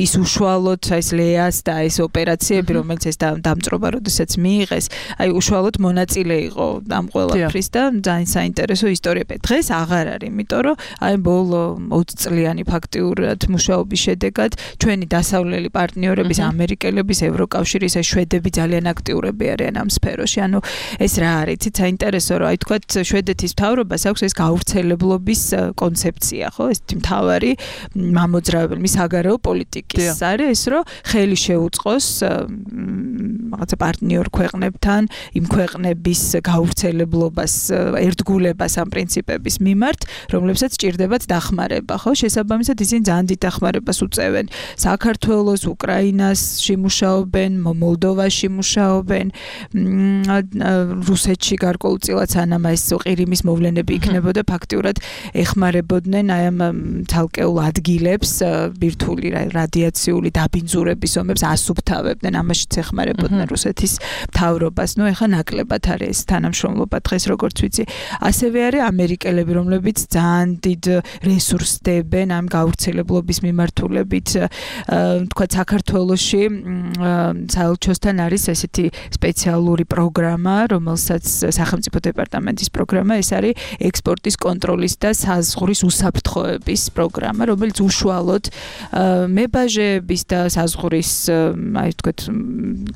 ის უშუალოდ ეს ლეას და ეს ოპერაციები, რომელიც ეს დამწრობა როდესაც მიიღეს, აი უშუალოდ მონაწილე იყო ამ ყველაფრის და ძალიან საინტერესო ისტორია. დღეს აღარ არის, იმიტომ რომ აი ბოლო 20 წლიანი ფაქტიურად მუშაობის შედეგად ჩვენი დასავლელი პარტნიორების, ამერიკელების, ევროკავშირის, შვედები ძალიან აქტიურები არიან ამ სფეროში. ანუ ეს რა არის? იცით საინტერესო, რომ აი თქვათ შვედეთის მთავრობას აქვს ეს გავრცელებლობის კონცეფცია, ხო? ეს მთავარი მამოძრავებელი მის საგარეო პოლიტიკის არის ეს რომ ხელი შეუწყოს რაღაცა პარტნიორ ქვეყნებთან იმ ქვეყნების გავრცელებლობას ერთგულებას ამ პრინციპების მიმართ რომლებსაც ჭირდებათ დახმარება ხო შესაბამისად ისინი ძალიან დიდ დახმარებას უწევენ საქართველოს უკრაინაში მუშაობენ მოლდოვაში მუშაობენ რუსეთში გარკვეულწილად სანამ ეს ყირიმის მოვლენები იქნებოდა ფაქტიურად ეხმარებოდნენ აი ამ თალკეულ ადგილებს ბირთვული რადიაციული დაბინძურების ომებს ასუფთავებდნენ ამაშიც ეხმარებოდნენ რუსეთის მთავრობას ნუ ეხა ნაკლებად არის ეს თანამშრომლობა დღეს როგორც ვიცი ასევე არის ამერიკელები რომლებიც ძალიან დიდ რესურსს დებენ ამ გავრცელებლობის მიმართულებით თქვა საქართველოში საელჩოსთან არის ესეთი სპეციალური პროგრამა რომელსაც სახელმწიფო დეპარტამენტის პროგრამა ეს არის ექსპორტის კონტროლის და საზღვრის უსაფრთხოების პროგრამა რომელიც უშუალოდ მებაჟეების და საზღვრის აი ვთქვათ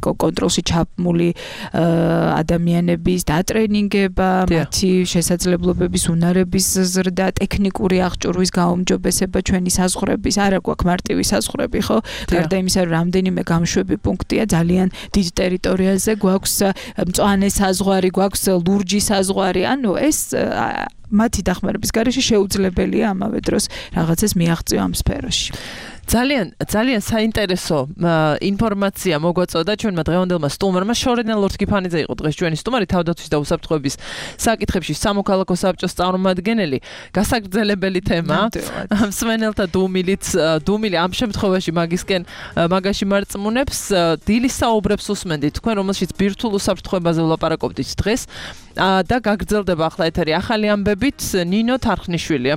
კონტროლში ჩაბმული ადამიანების დატრენინგება მათი შესაძლებლობების უნარების ზრდა ტექნიკური აღჭურვის გაუმჯობესება ჩვენი საზღვრების არა გვაქვს მარტივი საზღვრები ხო გარდა იმისა რომ რამდენიმე გამშვები პუნქტია ძალიან დიდ ტერიტორიაზე გვაქვს მწვანე საზღვარი გვაქვს ლურჯი საზღვარი ანუ ეს მათი დახმარების გარეშე შეუძლებელია ამავე დროს რაღაცას მიაღწიო ამ სფეროში ძალიან საინტერესო ინფორმაცია მოგვაწოდა ჩვენმა დღევანდელმა სტუმარმა შორენა ლორთგიფანიძე იყო დღეს ჩვენი სტუმარი თავდაცვის და უსაფრთხოების საკითხებში სამოქალაქო საბჭოს წარმომადგენელი გასაგრძელებელი თემა მსმენელთა დუმილი ამ შემთხვევაში მაგაში მარწმუნებს დილის საუბრებს უსმენდით თქვენ რომელშიც ბირთვულ უსაფრთხოებაზე ვლაპარაკობდით დღეს და გაგრძელდება ახლა ეთერი ახალი ამბებით ნინო თარხნიშვილია